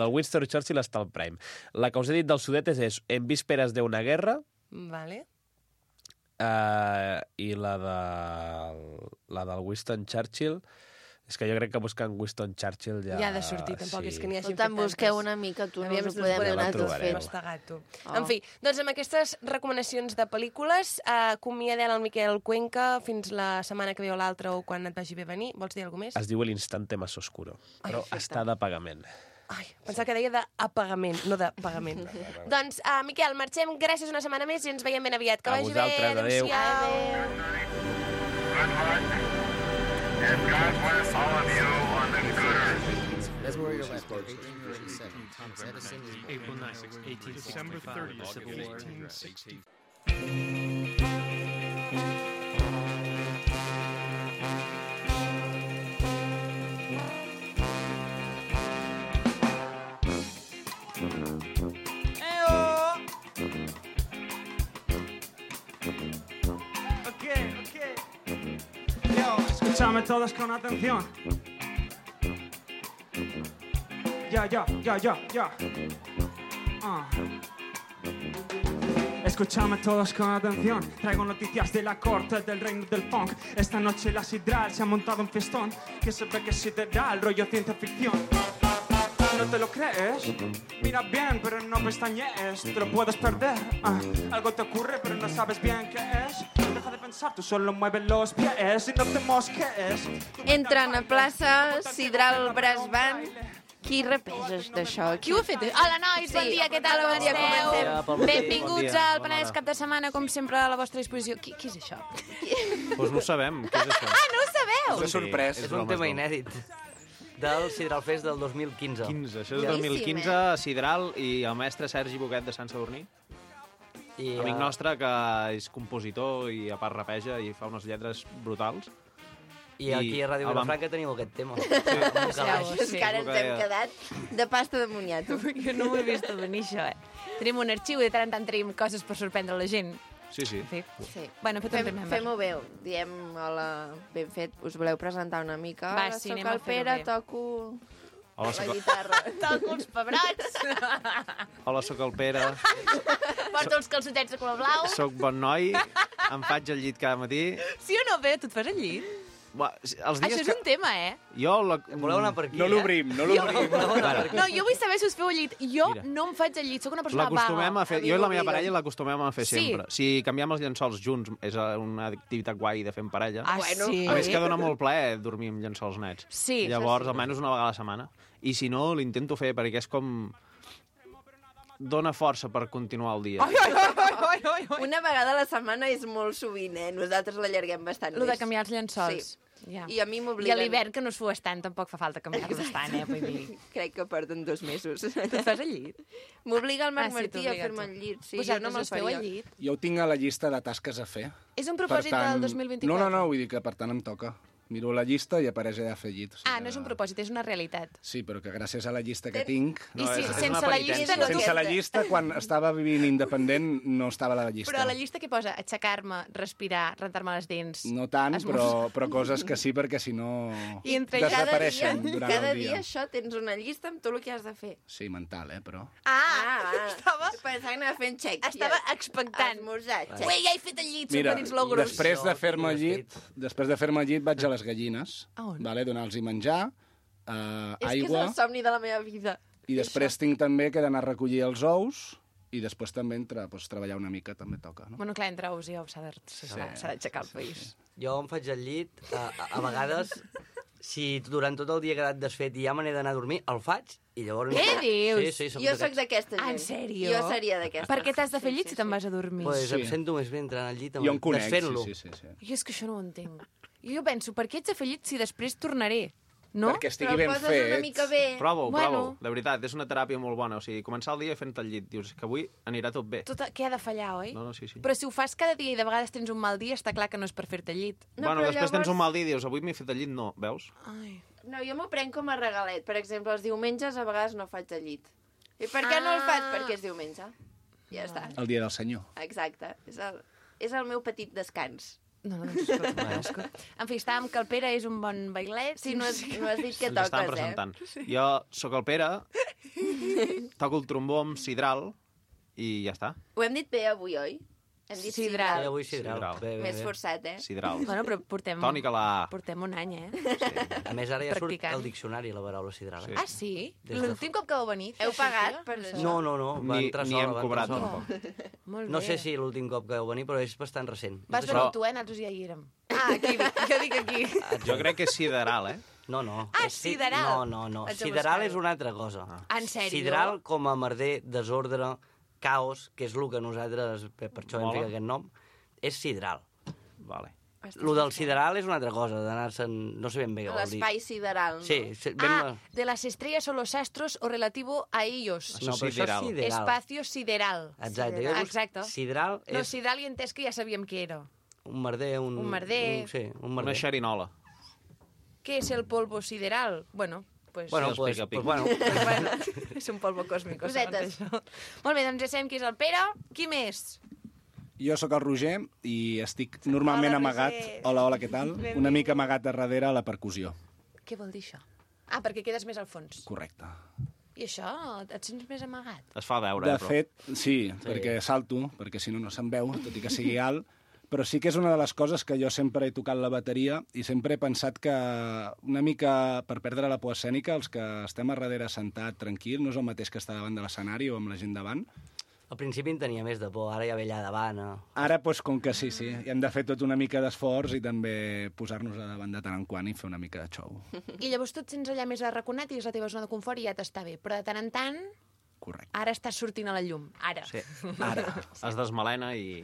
del Winston Churchill està al Prime. La que us he dit dels Sudetes és En vísperas de una guerra. Vale. I la del Winston Churchill... És que jo crec que buscant Winston Churchill ja... Ja ha de sortir, tampoc és que n'hi hagi fet Tant busqueu tantes. una mica, tu, no Aviam us si ho podem podem donar tot trobareu. fet. mastegar, tu. En fi, doncs amb aquestes recomanacions de pel·lícules, acomiadem el Miquel Cuenca fins la setmana que ve o l'altra o quan et vagi bé venir. Vols dir alguna cosa més? Es diu l'instante más oscuro, però està de pagament. Ai, pensava que deia d'apagament, no de pagament. Doncs, Miquel, marxem. Gràcies una setmana més i ens veiem ben aviat. Que A vagi vosaltres, bé. adéu. And God bless all of you on the good earth. That's where you're left. 1837. Thomas Edison is born. April 9th, 1865. December 30th, Civil War. 1860. Escúchame todos con atención. Ya. Escúchame todos con atención. Traigo noticias de la corte del reino del funk. Esta noche la sidral se ha montado un fiestón que se ve que es sideral, rollo ciencia ficción. ¿No te lo crees? Mira bien, pero no pestañees. Te lo puedes perder. Algo te ocurre, pero no sabes bien qué es. Deja de pensar, tú solo mueves los pies y no te mosques. Entren a plaça Sidral Brass Band. Qui rapés d'això? Qui ho ha fet? Hola, nois, bon dia, què tal, com Bon dia, esteu? comencem. Benvinguts al Penedès Cap de Setmana, com sempre, a la vostra disposició. Qui és això? Doncs no ho sabem, què és això? Ah, no ho sabeu? És sorprès. És un tema inèdit del Sidral Fest del 2015. Això és 2015, a Sidral, i el mestre Sergi Boquet de Sant Sadurní. Amic nostre, que és compositor i a part rapeja i fa unes lletres brutals. I aquí a Ràdio Vilafranca teniu aquest tema. És que ara ens hem quedat de pasta de moniato. Jo no ho he vist venir, això, Tenim un arxiu i de tant en tant tenim coses per sorprendre la gent. Sí. Bueno, fem-ho bé. Diem, hola, ben fet. Us voleu presentar una mica? Va, Hola, sí, soc anem a el Pere, fer-ho bé. toco Hola, la guitarra. Toco els pebrots. Hola, sóc el Pere. Porto els calçotets de color blau. Soc bon noi, em faig el llit cada matí. Sí o no, Pere? Tu et fas el llit? Els dies Això és un tema, Jo... Voleu anar per aquí, No l'obrim. No, jo vull saber si us feu el llit. Jo no em faig el llit, sóc una persona L'acostumem vaga. a fer... Jo i la meva parella l'acostumem a fer Sí. sempre. Si canviem els llençols junts, és una activitat guai de fer en parella. Ah, sí? A més que dona molt plaer dormir amb llençols nets. Sí. Llavors, almenys una vegada a la setmana. I si no, l'intento fer perquè és com... Dona força per continuar el dia. Una vegada a la setmana és molt sovint, Nosaltres l'allarguem bastant Lo més. de canviar els llençols. Sí. Ja. I a mi I a m'obliguen... l'hivern, que no es fues tant, tampoc fa falta canviar-los tant, vull dir. Crec que porten 2 mesos. Tu et fas el llit? M'obliga el Marc Ah, sí, Martí a t'obliga fer-me tu. el llit. Sí, Vosaltres jo no me'l us feu faria. el llit? Jo ho tinc a la llista de tasques a fer. És un propòsit del 2024? No, vull dir que per tant em toca. Miro la llista i apareix allà a fer llit. O sigui Ah, no és un propòsit, és una realitat. Sí, però que gràcies a la llista que tinc... I si, sense la llista no Sense la llista, quan estava vivint independent, no estava a la llista. Però a la llista què posa? Aixecar-me, respirar, rentar-me les dents... No tant, però coses que sí, perquè si no I entre desapareixen durant cada el dia. dia això tens una llista amb tot el que has de fer. Sí, mental, però... Estava... Pensava que anava fent xec. Estava expectant. Esmorzar, xec. Ui, ja he fet el llit, Mira, sempre dins l'ogros. després de fer-me el llit, vaig a les gallines, vale, donar-los menjar, És que és aigua, el somni de la meva vida. i després tinc també que d'anar a recollir els ous, i després també treballar una mica també toca, no? Bueno, clar, entre ous i ous s'ha d'aixecar el país. Jo em faig el llit, a vegades, si durant tot el dia he quedat desfet i ja me n'he d'anar a dormir, el faig i llavors... Què dius? Sí, soc Jo sóc d'aquesta gent. En sèrio? Jo seria d'aquesta. Per què t'has de fer llit si te'n vas a dormir? Pues em sento més bé entrant al llit, Jo em conec, desfent-lo. sí. Jo és que això no ho entenc. Jo penso, per què ets de fer llit si després tornaré? No? Perquè estigui ben fet. una mica bé. Prova-ho. De veritat, és una teràpia molt bona. O sigui, començar el dia fent el llit. Dius que avui anirà tot bé. Què ha de fallar, oi? No, sí. Però si ho fas cada dia i de vegades tens un mal dia, està clar que no és per fer-te el llit. Bueno, després tens un mal dia i dius, avui m'he fet el llit, no, veus? Ai. No, jo m'ho prenc com a regalet. Per exemple, els diumenges a vegades no faig el llit. I per què no el faig? Perquè és diumenge. Ja està. El dia del senyor. Exacte. És el meu petit descans. No, escolta. En fi, estàvem que el Pere és un bon bailet. Sí, no has dit que L'estàvem toques, presentant. Jo sóc el Pere, toco el trombó amb sidral i ja està. Ho hem dit bé avui, oi? Hem dit Sidral. Sí, avui sidral. Bé. Més forçat, Sidral. Bueno, però portem... Tònica la A. Portem un any, A més, ara ja surt Practicant. al diccionari la paraula sidral. Ah, sí? Des de L'últim cop que vau venir? Heu pagat per això? No, va entrar Ni sola. hem va entrar cobrat, sola. tampoc. Molt No bé. sé si l'últim cop que vau venir, però és bastant recent. Vas És venir d'això. tu, nosaltres ja hi érem. Ah, aquí, jo dic aquí. Jo crec que és sideral, No. Ah, sideral. No. Haig de Sideral buscar-ho. és una altra cosa. En sèrio? Sideral com a merder, desordre, caos, que és el que nosaltres, per això hem Mola. ficat aquest nom, és sideral. Vale. Lo del sideral és una altra cosa, d'anar-se'n... No sé ben bé què vol dir. L'espai sideral, no? Sí, de las estrellas o los astros o relativo a ellos. No, però això és sideral. Espacio sideral. Exacte. Jo dic, Exacte. Sideral No, és sideral i entès que ja sabíem què era. un merder, Un merder. Sí, un merder. Una xerinola. ¿Qué es el polvo sideral? Bueno, pues... Bueno, Sí, els pica-pica. bueno. bueno, és un polvo còsmico. Cosetes. segons això. Molt bé, doncs ja sabem qui és el Pere. Qui més? Jo sóc el Roger i estic normalment Hola, amagat... Roger. Hola, què tal? Benvingut. Una mica amagat a darrere a la percussió. Què vol dir això? Ah, perquè quedes més al fons. Correcte. I això, et sents més amagat? Es fa veure, De però... fet, sí, perquè salto, perquè si no, no se'n veu, tot i que sigui alt, però sí que és una de les coses que jo sempre he tocat la bateria i sempre he pensat que una mica per perdre la por escènica, els que estem a darrere sentat, tranquil, no és el mateix que estar davant de l'escenari o amb la gent davant. Al principi en tenia més de por, ara ja ve allà davant. Ara, doncs, com que sí, i hem de fer tot una mica d'esforç i també posar-nos a davant de tant en quant i fer una mica de show. I llavors tu et sents allà més arraconat i és la teva zona de confort i ja t'està bé. Però de tant en tant... Correcte. Ara estàs sortint a la llum. Ara. Sí. Ara. Es desmalena i...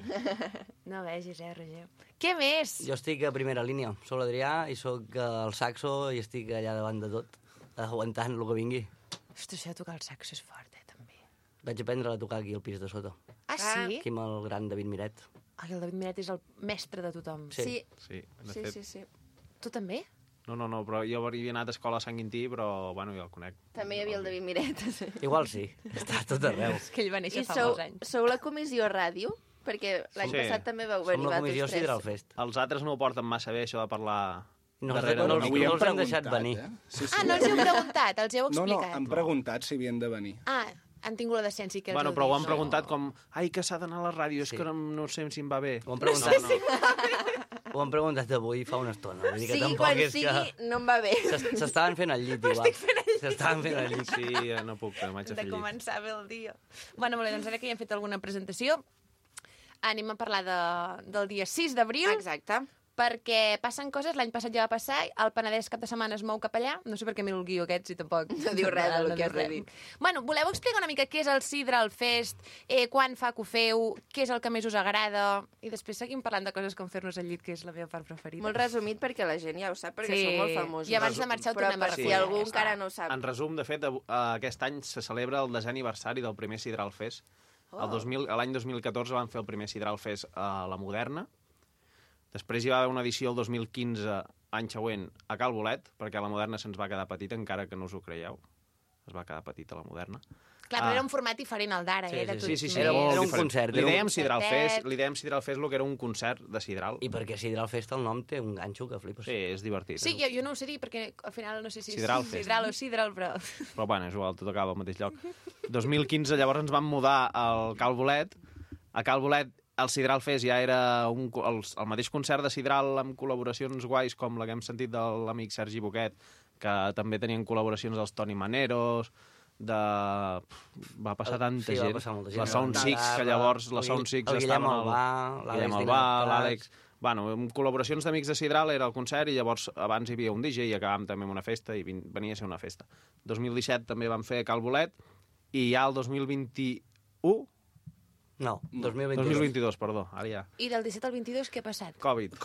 No vegis, Roger. Què més? Jo estic a primera línia. Soc l'Adrià i sóc al saxo i estic allà davant de tot, aguantant el que vingui. Ostres, això de tocar el saxo és fort, també. Vaig aprendre a tocar aquí al pis de sota. Ah, sí? Aquí amb el gran David Miret. Ai, el David Miret és el mestre de tothom. Sí. De fet. Sí. Tu també? No, però jo havia anat a escola a Sant Quintí, però, bueno, jo el conec. També hi havia el David Miret. Sí. Igual sí, està tot arreu. És que ell va néixer fa molts anys. Sou la comissió ràdio? Perquè l'any passat també vau venir vosaltres tres. Sidral Fest. Els altres no ho porten massa bé, això de parlar... No els hem deixat venir. Sí. No els heu preguntat, els heu explicat. No, han preguntat si havien de venir. Han tingut la decència que els Bueno, però ho han preguntat com... Ai, que s'ha d'anar a la ràdio, és que no sé si em va bé. Ho han preguntat, ho han preguntat avui fa una estona. Vull dir que quan sigui, no em va bé. S'estaven fent al llit, igual. S'estaven fent al llit. Sí, no puc, m'haig de fer llit. De començar bé el dia. Bueno, molt bé, doncs ara que ja hem fet alguna presentació, anem a parlar del dia 6 d'abril. Exacte. Perquè passen coses, l'any passat ja va passar, el Penedès cap de setmana es mou cap allà, no sé per què miro el guió aquest si tampoc... No diu res del que has de dir. Bueno, voleu explicar una mica què és el Sidral Fest, quan fa que ho feu, què és el que més us agrada, i després seguim parlant de coses com fer-nos al llit, que és la meva part preferida. Molt resumit perquè la gent ja ho sap, perquè sou molt famosos. I abans de marxar ho tornem a repetir. Però per si algú encara no ho sap. En resum, de fet, aquest any se celebra el 10è aniversari del primer Sidral Fest. L'any 2014 van fer el primer Sidral Fest a la Moderna. Després hi va haver una edició el 2015, any següent, a Cal Bolet, perquè la Moderna se'ns va quedar petita, encara que no us ho creieu. Es va quedar petita la Moderna. Clar, però era un format diferent al d'ara, Sí, era un concert. Li dèiem Sidral Fest el que era un concert de Sidral. I perquè Sidral Fest el nom té un ganxo que flipes. Sí, és divertit. Sí, jo no ho sé dir, perquè al final no sé si és Sidral o Sidral, però... Però bueno, és igual, tot acaba al mateix lloc. 2015 llavors ens vam mudar al Cal Bolet. A Cal Bolet el Sidral Fest ja era el mateix concert de Sidral amb col·laboracions guais com la que hem sentit de l'amic Sergi Boquet, que també tenien col·laboracions dels Toni Maneros, va passar tanta gent. Va passar molta gent. La Sound Six, que llavors la Sound Six estaven... Guillem Albà, l'Àlex... Bueno, amb col·laboracions d'amics de Sidral era el concert i llavors abans hi havia un DJ i acabàvem també amb una festa i venia a ser una festa. 2017 també vam fer Cal Bolet i ja el 2021... No, 2022, perdó, ara ja. I del 17 al 22 què ha passat? Covid.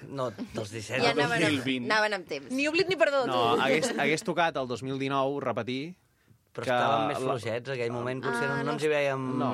No, dels 17 ja al 2020. Anaven amb temps. Ni oblit ni perdó, tu. No, hagués tocat el 2019 repetir... Però estàvem més fluixets, aquell moment potser no ens hi veiem... No.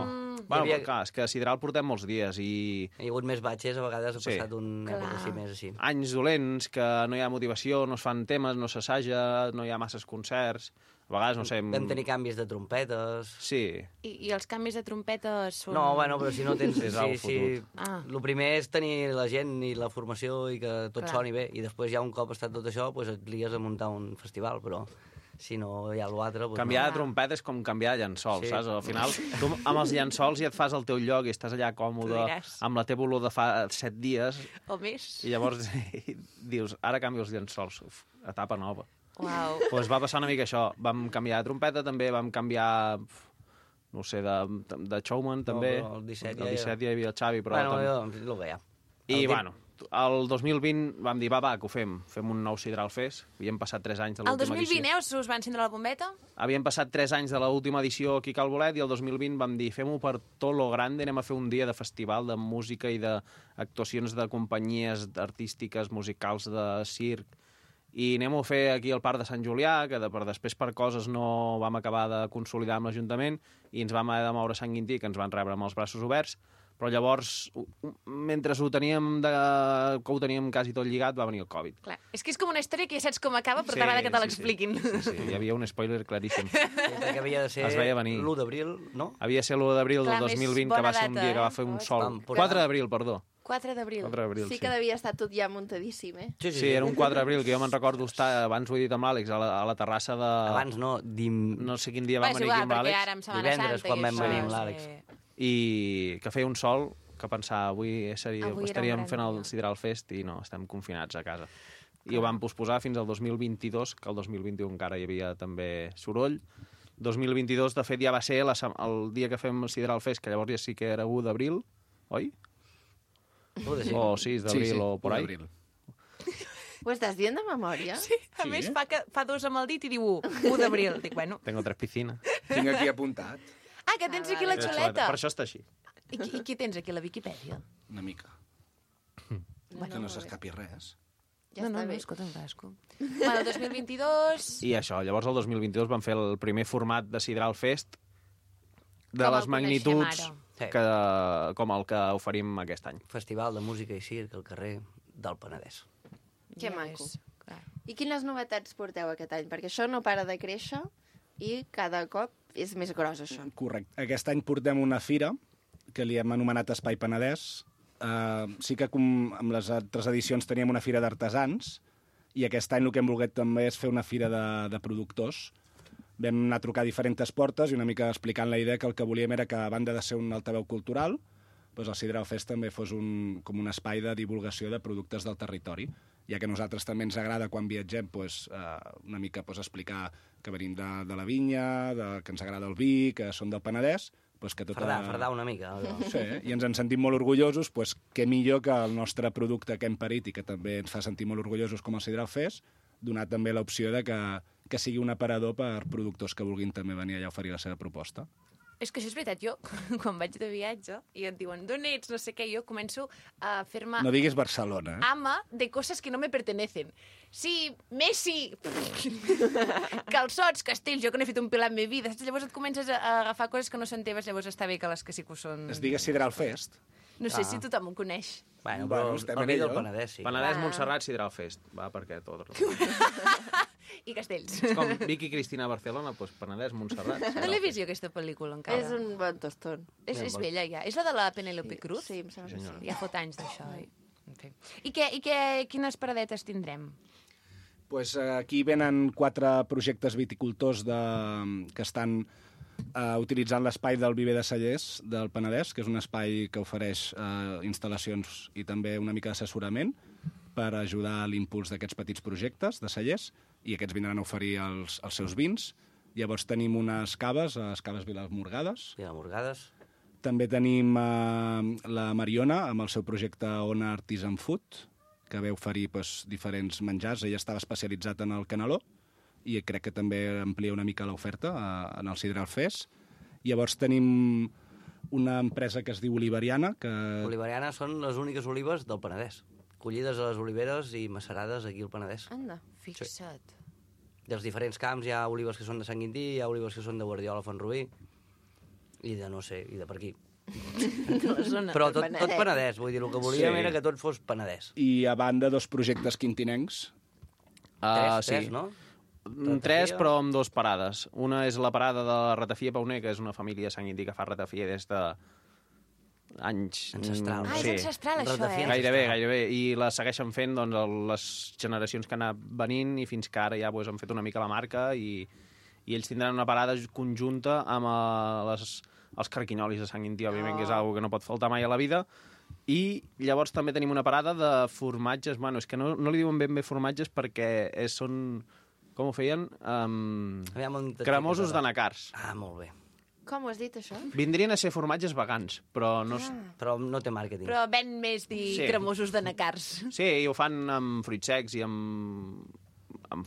Bueno, clar, és que a Sidral portem molts dies i... Hi ha hagut més batxes, a vegades ha passat una època així més així. Anys dolents, que no hi ha motivació, no es fan temes, no s'assaja, no hi ha masses concerts... A vegades, no sé... Vam tenir canvis de trompetes... Sí. I els canvis de trompetes són... No, bueno, però si no tens... El primer és tenir la gent i la formació i que tot soni bé, i després ja un cop estat tot això, doncs et lies a muntar un festival, però... Si no hi ha l'altre... Canviar de trompeta és com canviar de llençol, saps? Al final, tu amb els llençols ja et fas al teu lloc i estàs allà còmode, amb la teva olor de fa 7 dies... O més. I llavors dius, ara canvio els llençols, etapa nova. Uau. Doncs va passar una mica això. Vam canviar de trompeta, també vam canviar... No sé, de showman, també. El 17 ja hi havia el Xavi, però... Bueno, el que hi ha. I, bueno... El 2020 vam dir, va, que ho fem. Fem un nou Sidral Fest. Havíem passat 3 anys de l'última edició. El 2020, us va encendre la bombeta? Havíem passat 3 anys de l'última edició aquí a Cal Bolet i el 2020 vam dir, fem-ho per tot lo grande, anem a fer un dia de festival de música i d'actuacions de companyies artístiques, musicals, de circ. I anem-ho a fer aquí al Parc de Sant Julià, que després per coses no vam acabar de consolidar amb l'Ajuntament i ens vam haver de moure a Sant Quintí, que ens van rebre amb els braços oberts. Però llavors, mentre ho teníem quasi tot lligat, va venir el Covid. Clar. És que és com una història que ja saps com acaba, però t'agrada que te l'expliquin. Sí, hi havia un spoiler claríssim. Que havia de ser l'1 d'abril, no? Havia de ser l'1 d'abril del 2020, que va ser un dia que va fer un sol. 4 d'abril, perdó. 4 d'abril. 4 d'abril, Sí que devia estar tot ja muntadíssim, eh? Sí, era un 4 d'abril, que jo me'n recordo estar, abans ho he dit amb l'Àlex, a la terrassa de... Abans no, No sé quin dia vam És venir igual, aquí amb perquè l'Àlex. ara amb Setmana Divendres, Santa quan i vam això, venir amb sí. l'Àlex. I que feia un sol que pensava avui Avui era un estaríem gran fent el dia. Sideral Fest i no, estem confinats a casa. I ho vam posposar fins al 2022, que el 2021 encara hi havia també soroll. 2022, de fet, ja va ser el dia que fem el Sideral Fest, que llavors ja sí que era 1 d'abril, oi? O 6 d'abril o por ahí. Ho estàs dient de memòria? Sí, a més fa 2 amb el dit i diu 1 d'abril. Dic, bueno. Tengo 3 piscines. Tinc aquí apuntat. Ah, que tens aquí la xuleta. Per això està així. I qui tens aquí, la Viquipèdia? Una mica. Bueno, Que no molt s'escapi res. Ja està bé. escolta, un casco. Bueno, el 2022... I això, llavors el 2022 vam fer el primer format de Sideral Fest de Com el les magnituds coneixem com el que oferim aquest any. Festival de música i circ al carrer del Penedès. Que maco. I quines novetats porteu aquest any? Perquè això no para de créixer i cada cop és més gros, això. Correcte. Aquest any portem una fira que li hem anomenat Espai Penedès. Sí que com amb les altres edicions teníem una fira d'artesans i aquest any el que hem volgut també és fer una fira de productors. Vam anar a trucar a diferents portes i una mica explicant la idea que el que volíem era que, a banda de ser un altaveu cultural, doncs el Sideral Fest també fos com un espai de divulgació de productes del territori, ja que a nosaltres també ens agrada quan viatgem una mica explicar que venim de la vinya, que ens agrada el vi, que som del Penedès, que Fardar una mica. Sí, i ens en sentim molt orgullosos, què millor que el nostre producte que hem parit i que també ens fa sentir molt orgullosos com el Sideral Fest, donar també l'opció de que sigui un aparador per productors que vulguin també venir allà a oferir la seva proposta. És que això és veritat, jo, quan vaig de viatge i et diuen d'on ets, no sé què, jo començo a fer-me... No diguis Barcelona, ama de coses que no me pertenecen. Sí, Messi, calçots, castells, jo que no he fet un pilar en la meva vida. Llavors et comences a agafar coses que no són teves, llavors està bé que les que sí que ho són... Es digues Sideral Fest. No sé si tothom ho coneix. Bueno, però el vi del Penedès, sí. Penedès, Montserrat, Sideral Fest. Va, perquè tot. I castells. És com Vicky Cristina Barcelona, doncs Penedès, Montserrat. No l'he vist jo, aquesta pel·lícula, encara. És un bon tostón. És vella, ja. És la de la Penélope Cruz? Sí, em sembla que sí. Ja fot anys d'això. I quines paradetes tindrem? Pues aquí venen 4 projectes viticultors que estan utilitzant l'espai del Viver de Cellers del Penedès, que és un espai que ofereix instal·lacions i també una mica d'assessorament per ajudar a l'impuls d'aquests petits projectes de cellers, i aquests vindran a oferir els seus vins. Llavors tenim unes caves, les caves Vilamorgades. També tenim la Mariona, amb el seu projecte Ona Artisan Food, que ve oferir diferents menjars. Ella estava especialitzat en el caneló, i crec que també amplia una mica l'oferta en el Sideral Fest. Llavors tenim una empresa que es diu Oliveriana. Oliveriana són les úniques olives del Penedès, collides a les oliveres i macerades aquí al Penedès. Anda, fixa't. Sí. Dels diferents camps hi ha olives que són de Sant Quintí, hi ha olives que són de Guardiola, Font-rubí, i de no sé, i de per aquí. Però tot Penedès, vull dir, el que volíem era que tot fos Penedès. I a banda, 2 projectes quintinencs. Tres, no? 3, però amb 2 parades. Una és la parada de la Ratafia Pauner, que és una família de Sant Quintí que fa ratafia des de anys... Ancestral. És ancestral, això, Gairebé. I la segueixen fent les generacions que han anat venint, i fins que ara ja han fet una mica la marca, i ells tindran una parada conjunta amb els carquinyolis de Sant Quintí, òbviament, que és una cosa que no pot faltar mai a la vida. I llavors també tenim una parada de formatges. Bueno, és que no li diuen ben bé formatges perquè són... Com ho feien? Cremosos de nacars. Ah, molt bé. Com ho has dit, això? Vindrien a ser formatges vegans, però no... Però no té màrqueting. Però ven més dir cremosos de nacars. Sí, i ho fan amb fruits secs i amb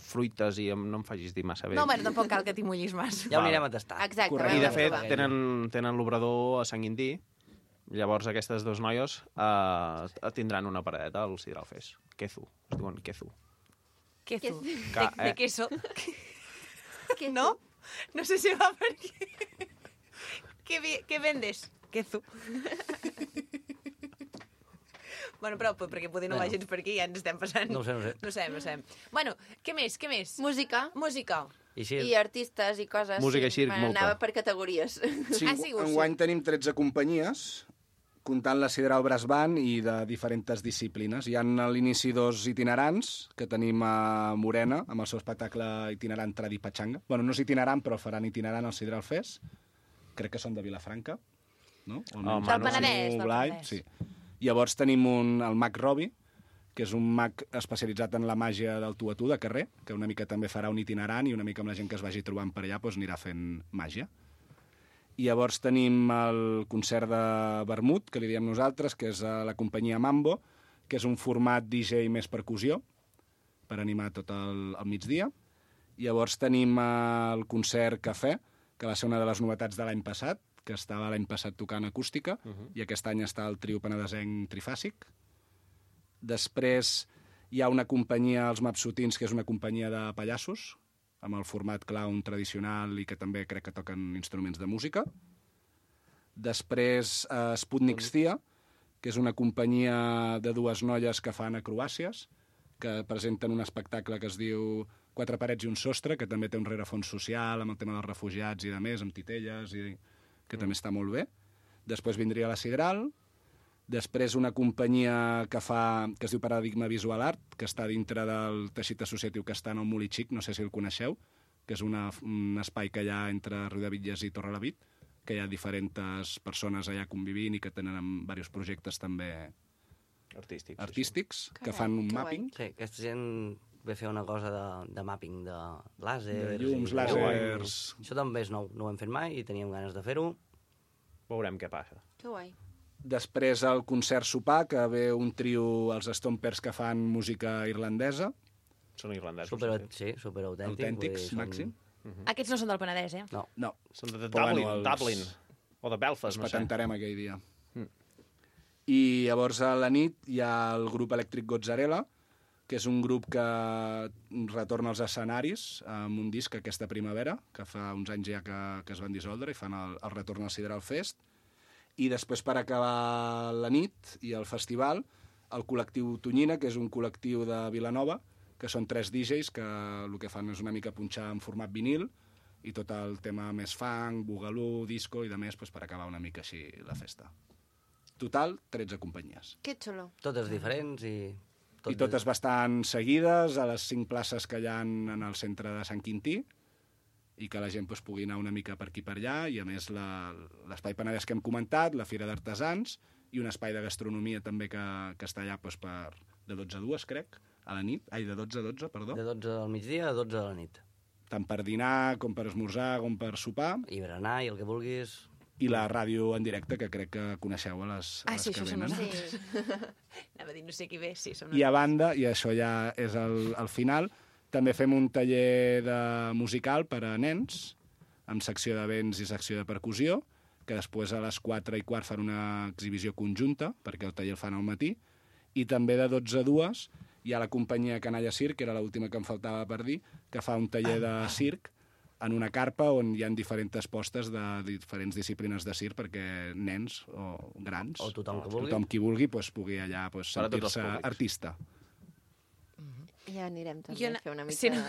fruites i no em facis dir massa bé. No, bueno, tampoc cal que t'hi mullis massa. Ja ho anirem a tastar. Exacte. I, de fet, tenen l'obrador a Sant Quintí. Llavors, aquestes 2 noies tindran una paradeta al Sideral Fest. Quezu. Es diuen Quezu. Quezu. De queso. ¿No? No sé si va per aquí. ¿Qué vendes? Quezu. Bueno, però perquè poder no va gens per aquí, ja ens estem passant. No ho sé. No sabem. Bueno, què més? Música. I artistes i coses. Música i circ, molta. Anava per categories. Sí, enguany tenim 13 companyies comptant la Sidral Brass Band i de diferents disciplines. Hi ha a l'inici 2 itinerants, que tenim a Morena, amb el seu espectacle itinerant Tradi Pachanga. Bueno, no és itinerant, però faran itinerant al Sidral Fest. Crec que són de Vilafranca, no? Del Penedès. Sí. Llavors tenim el Mag Robi, que és un mag especialitzat en la màgia del tu a tu de carrer, que una mica també farà un itinerant i una mica amb la gent que es vagi trobant per allà doncs anirà fent màgia. I llavors tenim el concert de vermut, que li diem nosaltres, que és la companyia Mambo, que és un format DJ més percussió, per animar tot el migdia. Llavors tenim el concert Cafè, que va ser una de les novetats de l'any passat, que estava l'any passat tocant acústica, i aquest any està el trio penedesenc trifàsic. Després hi ha una companyia, els Mapsutins, que és una companyia de pallassos, amb el format clown tradicional i que també crec que toquen instruments de música. Després Sputnik Stia, que és una companyia de dues noies que fan acrobàcies, que presenten un espectacle que es diu Quatre parets i un sostre, que també té un rerefons social amb el tema dels refugiats i de més, amb titelles, i que també està molt bé. Després vindria la Sidral. Després una companyia que es diu Paradigma Visual Art, que està dintre del teixit associatiu que està en el Molí Xic, no sé si el coneixeu, que és un espai que hi ha entre Riudebitlles i Torrelavit, que hi ha diferents persones allà convivint i que tenen diversos projectes també artístics que fan un mapping. Sí, aquesta gent ve fer una cosa de mapping de làsers. De llums, làsers. Això també és nou, no ho hem fet mai i teníem ganes de fer-ho. Veurem què passa. Que guai. Després el concert sopar, que ve un trio, els Stompers, que fan música irlandesa. Són irlandesos. Superautèntics. Autèntics, màxim. Aquests no són del Penedès, eh? No. Són de Dublin. O de Belfast, no sé. Els patentarem aquell dia. I llavors a la nit hi ha el grup elèctric Gozzarella, que és un grup que retorna als escenaris amb un disc aquesta primavera, que fa uns anys ja que es van dissoldre i fan el retorn al Sidral Fest. I després, per acabar la nit i el festival, el col·lectiu Tonyina, que és un col·lectiu de Vilanova, que són 3 DJs que el que fan és una mica punxar en format vinil i tot el tema més funk, boogaloo, disco i de més per acabar una mica així la festa. Total, 13 companyies. Que xulo. Totes diferents i... I totes bastant seguides, a les 5 places que hi ha en el centre de Sant Quintí, i que la gent pugui anar una mica per aquí per allà, i a més l'espai Penedès que hem comentat, la Fira d'Artesans, i un espai de gastronomia també que està allà de 12 a 2, crec, a la nit. Ai, de 12 a 12, perdó. De 12 al migdia a 12 a la nit. Tant per dinar, com per esmorzar, com per sopar. I berenar, i el que vulguis... I la ràdio en directe, que crec que coneixeu a les sí, que venen. Sí. Anava a dir, no sé qui ve, sí, som I a banda, i això ja és el final, també fem un taller musical per a nens, amb secció de vents i secció de percussió, que després a les 4:15 fan una exhibició conjunta, perquè el taller el fan al matí, i també de 12 a 2 hi ha la companyia Canalla Circ, que era l'última que em faltava per dir, que fa un taller de circ en una carpa on hi ha diferents postes de diferents disciplines de circ perquè nens o grans o tothom qui vulgui pugui allà sentir-se artista. Ja anirem també a fer una mica... Sí, no.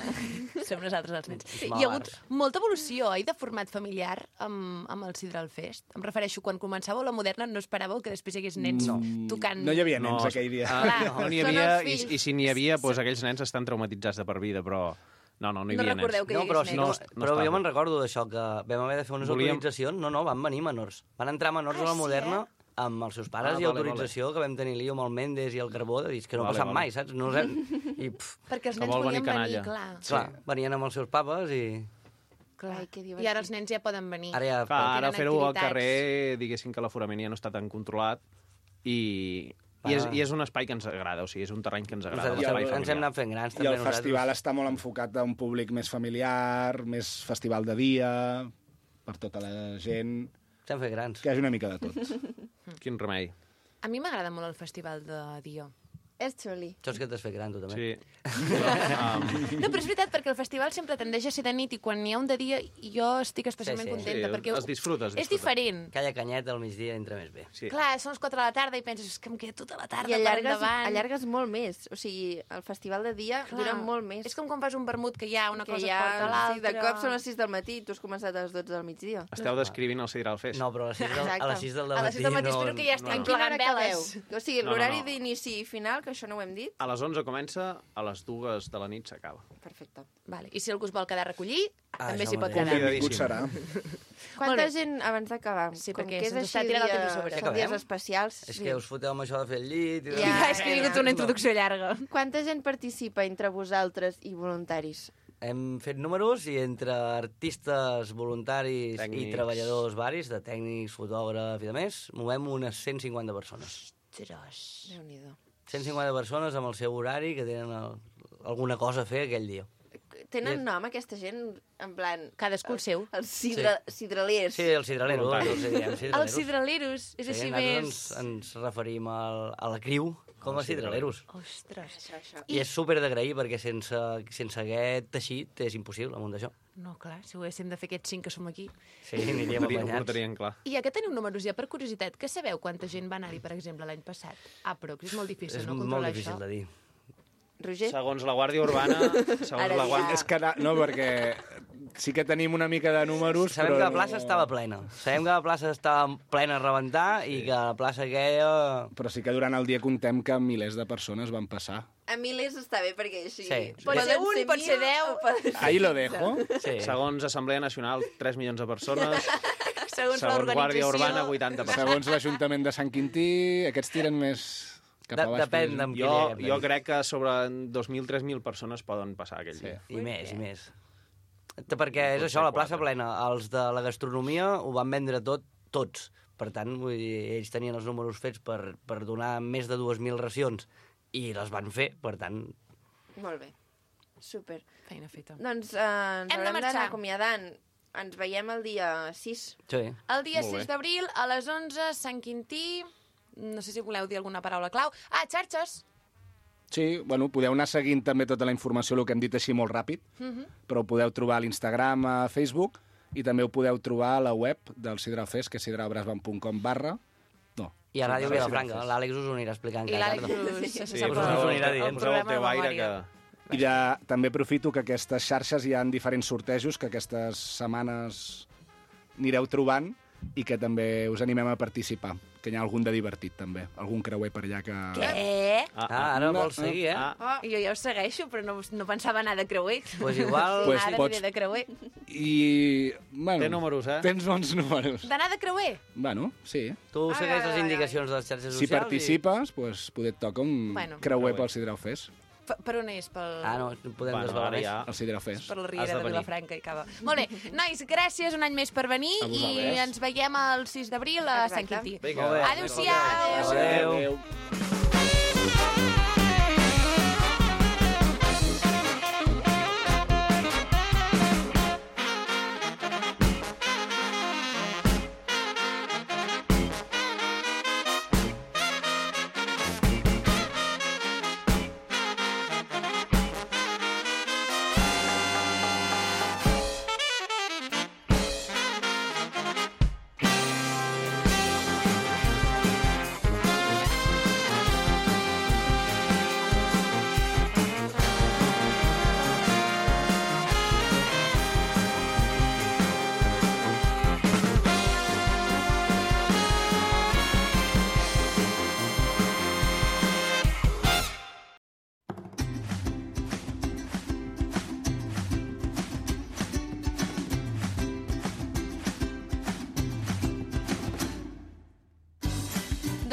Som nosaltres els nens. Sí. Hi ha hagut molta evolució, de format familiar amb el Sidral Fest. Em refereixo, quan començàveu la Moderna no esperàveu que després hi hagués nens tocant... No hi havia nens aquell dia. No n'hi havia, i si n'hi havia, aquells nens estan traumatitzats de per vida, però... No hi havia nens. No recordeu que hi hagués nens. Però jo me'n recordo d'això, que vam haver de fer unes autoritzacions. No, van venir menors. Van entrar menors a la Moderna amb els seus pares i autorització, que vam tenir lío amb el Mendes i el Carbó, de dir que no ha passat mai, saps? Perquè els nens volien venir, clar. Clar, venien amb els seus papes i... Clar, i ara els nens ja poden venir. Ara fer-ho al carrer, diguéssim que l'aforament ja no està tan controlat i és un espai que ens agrada, o sigui, és un terreny que ens agrada. Ens hem anat fent grans. I el festival està molt enfocat a un públic més familiar, més festival de dia, per tota la gent... Estem fent grans. Que hi hagi una mica de tot. Quin remei. A mi m'agrada molt el festival de dia. És xuli. Saps que t'has fet gran, tu, també? Sí. No, però és veritat, perquè el festival sempre tendeix a ser de nit i quan n'hi ha un de dia jo estic especialment contenta. Perquè es disfruta. És diferent. Calla canyeta al migdia entra més bé. Sí. Clar, són les 4 de la tarda i penses és que em queda tota la tarda per endavant. Allargues molt més. O sigui, el festival de dia dura molt més. És com quan fas un vermut que hi ha una cosa porta l'altra. Sí, de cop són les 6 del matí i tu has començat a les 12 del migdia. Esteu descrivint el Sidral Fest. No, però a les 6 del matí... A les 6 del matí espero que ja estigui plegant veles. O sigui, l'horari d'inici i final, que això no ho hem dit. A les 11 comença, a les 2 de la nit s'acaba. Perfecte. Vale. I si algú es vol quedar a recollir, també s'hi pot mateix. quedar. Convidadíssim. Serà. Quanta gent, abans d'acabar, Sí, com perquè que és se'ns així està tirant el temps a sobre. són dies especials... És que us foteu amb això de fer el llit... Ja, és que he vingut una introducció llarga. Quanta gent participa entre vosaltres i voluntaris? Hem fet números i entre artistes, voluntaris i treballadors varis, de tècnics, fotògrafs i de més, movem unes 150 persones. Déu-n'hi-do. 150 persones amb el seu horari que tenen alguna cosa a fer aquell dia. Tenen nom, aquesta gent, en plan... Cadascú el seu. Els sidralers. Sí, els sidraleros. Els sidraleros, és així més... Ens referim a la criu com a sidraleros. Ostres. I és súper d'agrair perquè sense aquest teixit és impossible muntar això. No, clar, si ho haguéssim de fer aquests 5 que som aquí. Sí, aniríem apanyats. Ho tenien clar. I ja que teniu números, ja per curiositat, que sabeu quanta gent va anar-hi, per exemple, l'any passat? Però és molt difícil, no, controlar això. És molt difícil de dir. Roger? Segons la Guàrdia Urbana... És que no, perquè sí que tenim una mica de números, Sabem però... que la plaça estava plena. Sabem que la plaça estava plena a rebentar i que la plaça aquella... Però sí que durant el dia comptem que milers de persones van passar. A milers està bé, perquè així... Sí. Pot ser un, pot ser 10... Ahí lo dejo. Sí. Segons Assemblea Nacional, 3 milions de persones. Segons Guàrdia Urbana, 80 persones. Segons l'Ajuntament de Sant Quintí, aquests tiren més... Depèn d'amb qui jo crec que sobre 2.000-3.000 persones poden passar aquell dia. I més. Perquè és això, la plaça plena. Els de la gastronomia ho van vendre tots. Per tant, vull dir, ells tenien els números fets per donar més de 2.000 racions i les van fer, per tant... Molt bé. Super. Feina feta. Doncs ens haurem d'anar acomiadant. Ens veiem el dia 6. Sí. El dia 6 d'abril, a les 11, Sant Quintí... No sé si voleu dir alguna paraula clau. Xarxes! Sí, bueno, podeu anar seguint també tota la informació, el que hem dit així molt ràpid, però ho podeu trobar a l'Instagram, a Facebook, i també ho podeu trobar a la web del Sidral Fest, que és sidralbrasban.com/ No. I a Ràdio Vilafranca, l'Àlex us ho anirà explicant. I l'Àlex us ho anirà dient. Poseu el teu aire que... I també aprofito que aquestes xarxes hi ha diferents sortejos que aquestes setmanes anireu trobant i que també us animem a participar, que hi ha algun de divertit també, algun creuer per allà que... Què? Ara vols seguir, Jo ja ho segueixo, però no pensava anar de creuer. Pues igual... Ara aniré de creuer. I... Bueno, té números, Tens bons números. D'anar de creuer? Bueno, sí. Tu segueix les indicacions de les xarxes socials. Si participes, pues, poder et toca un creuer pel Sidral Fest. Per on és? No podem desvelar més. El Sidral Fest. Per la Riera de Vilafranca i Cava. Molt bé. Nois, gràcies un any més per venir i ens veiem el 6 d'abril a Sant Quintí. Adéu-siau! Adéu.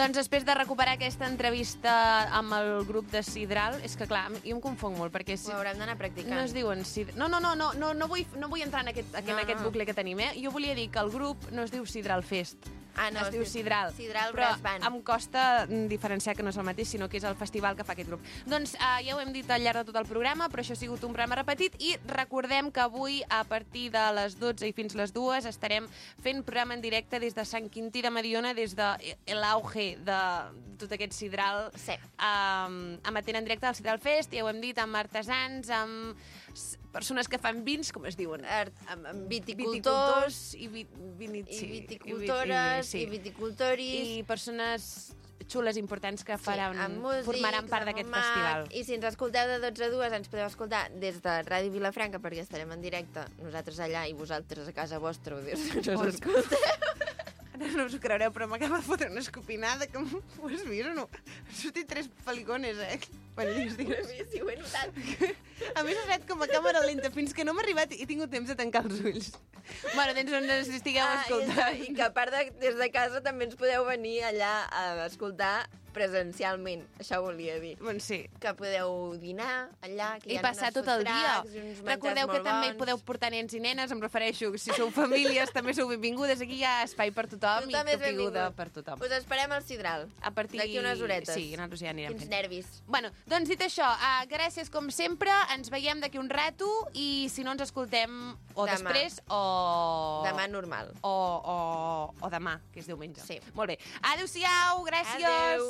Doncs després de recuperar aquesta entrevista amb el grup de Sidral, és que clar, jo em confonc molt, perquè... Ho haurem d'anar practicant. No es diuen Sidral... No vull entrar en aquest bucle que tenim, Jo volia dir que el grup no es diu Sidral Fest, Es diu Sidral. Sidral però Brass Band. em costa diferenciar que no és el mateix, sinó que és el festival que fa aquest grup. Doncs ja ho hem dit al llarg de tot el programa, però això ha sigut un programa repetit i recordem que avui, a partir de les 12 i fins les 2, estarem fent programa en directe des de Sant Quintí de Mediona, des de l'auge de tot aquest sidral, emetent en directe al Sidral Fest, ja ho hem dit, amb artesans, amb persones que fan vins, com es diuen? Amb viticultors i viticultores i viticultoris. I persones xules importants que formaran part d'aquest festival. I si ens escolteu de 12 a 2, ens podeu escoltar des de Ràdio Vilafranca, perquè estarem en directe, nosaltres allà i vosaltres a casa vostra, no us escolteu. Ara no us ho creureu, però m'acaba de fotre una escopinada, que ho has vist o no? Han sortit 3 pelicones, Bueno, digues. Sí, ho he notat. A més, ha estat com a càmera lenta, fins que no m'ha arribat i he tingut temps de tancar els ulls. Bueno, doncs on ens estigueu escoltant. I que a part des de casa també ens podeu venir allà a escoltar presencialment, això volia dir. Bueno, sí. Que podeu dinar allà, que hi ha passar tot el dia. Recordeu que també podeu portar nens i nenes, em refereixo, si sou famílies també sou benvingudes, aquí hi ha espai per tothom i capiguda per tothom. Us esperem al Sidral, d'aquí unes horetes. Sí, nosaltres ja anirem fent. Quins nervis. Bueno, doncs dit això, gràcies com sempre, ens veiem d'aquí un rato i si no ens escoltem o demà. Després o... Demà normal. O demà, que és diumenge. Sí. Molt bé. Adéu-siau, gràcies. Adéu.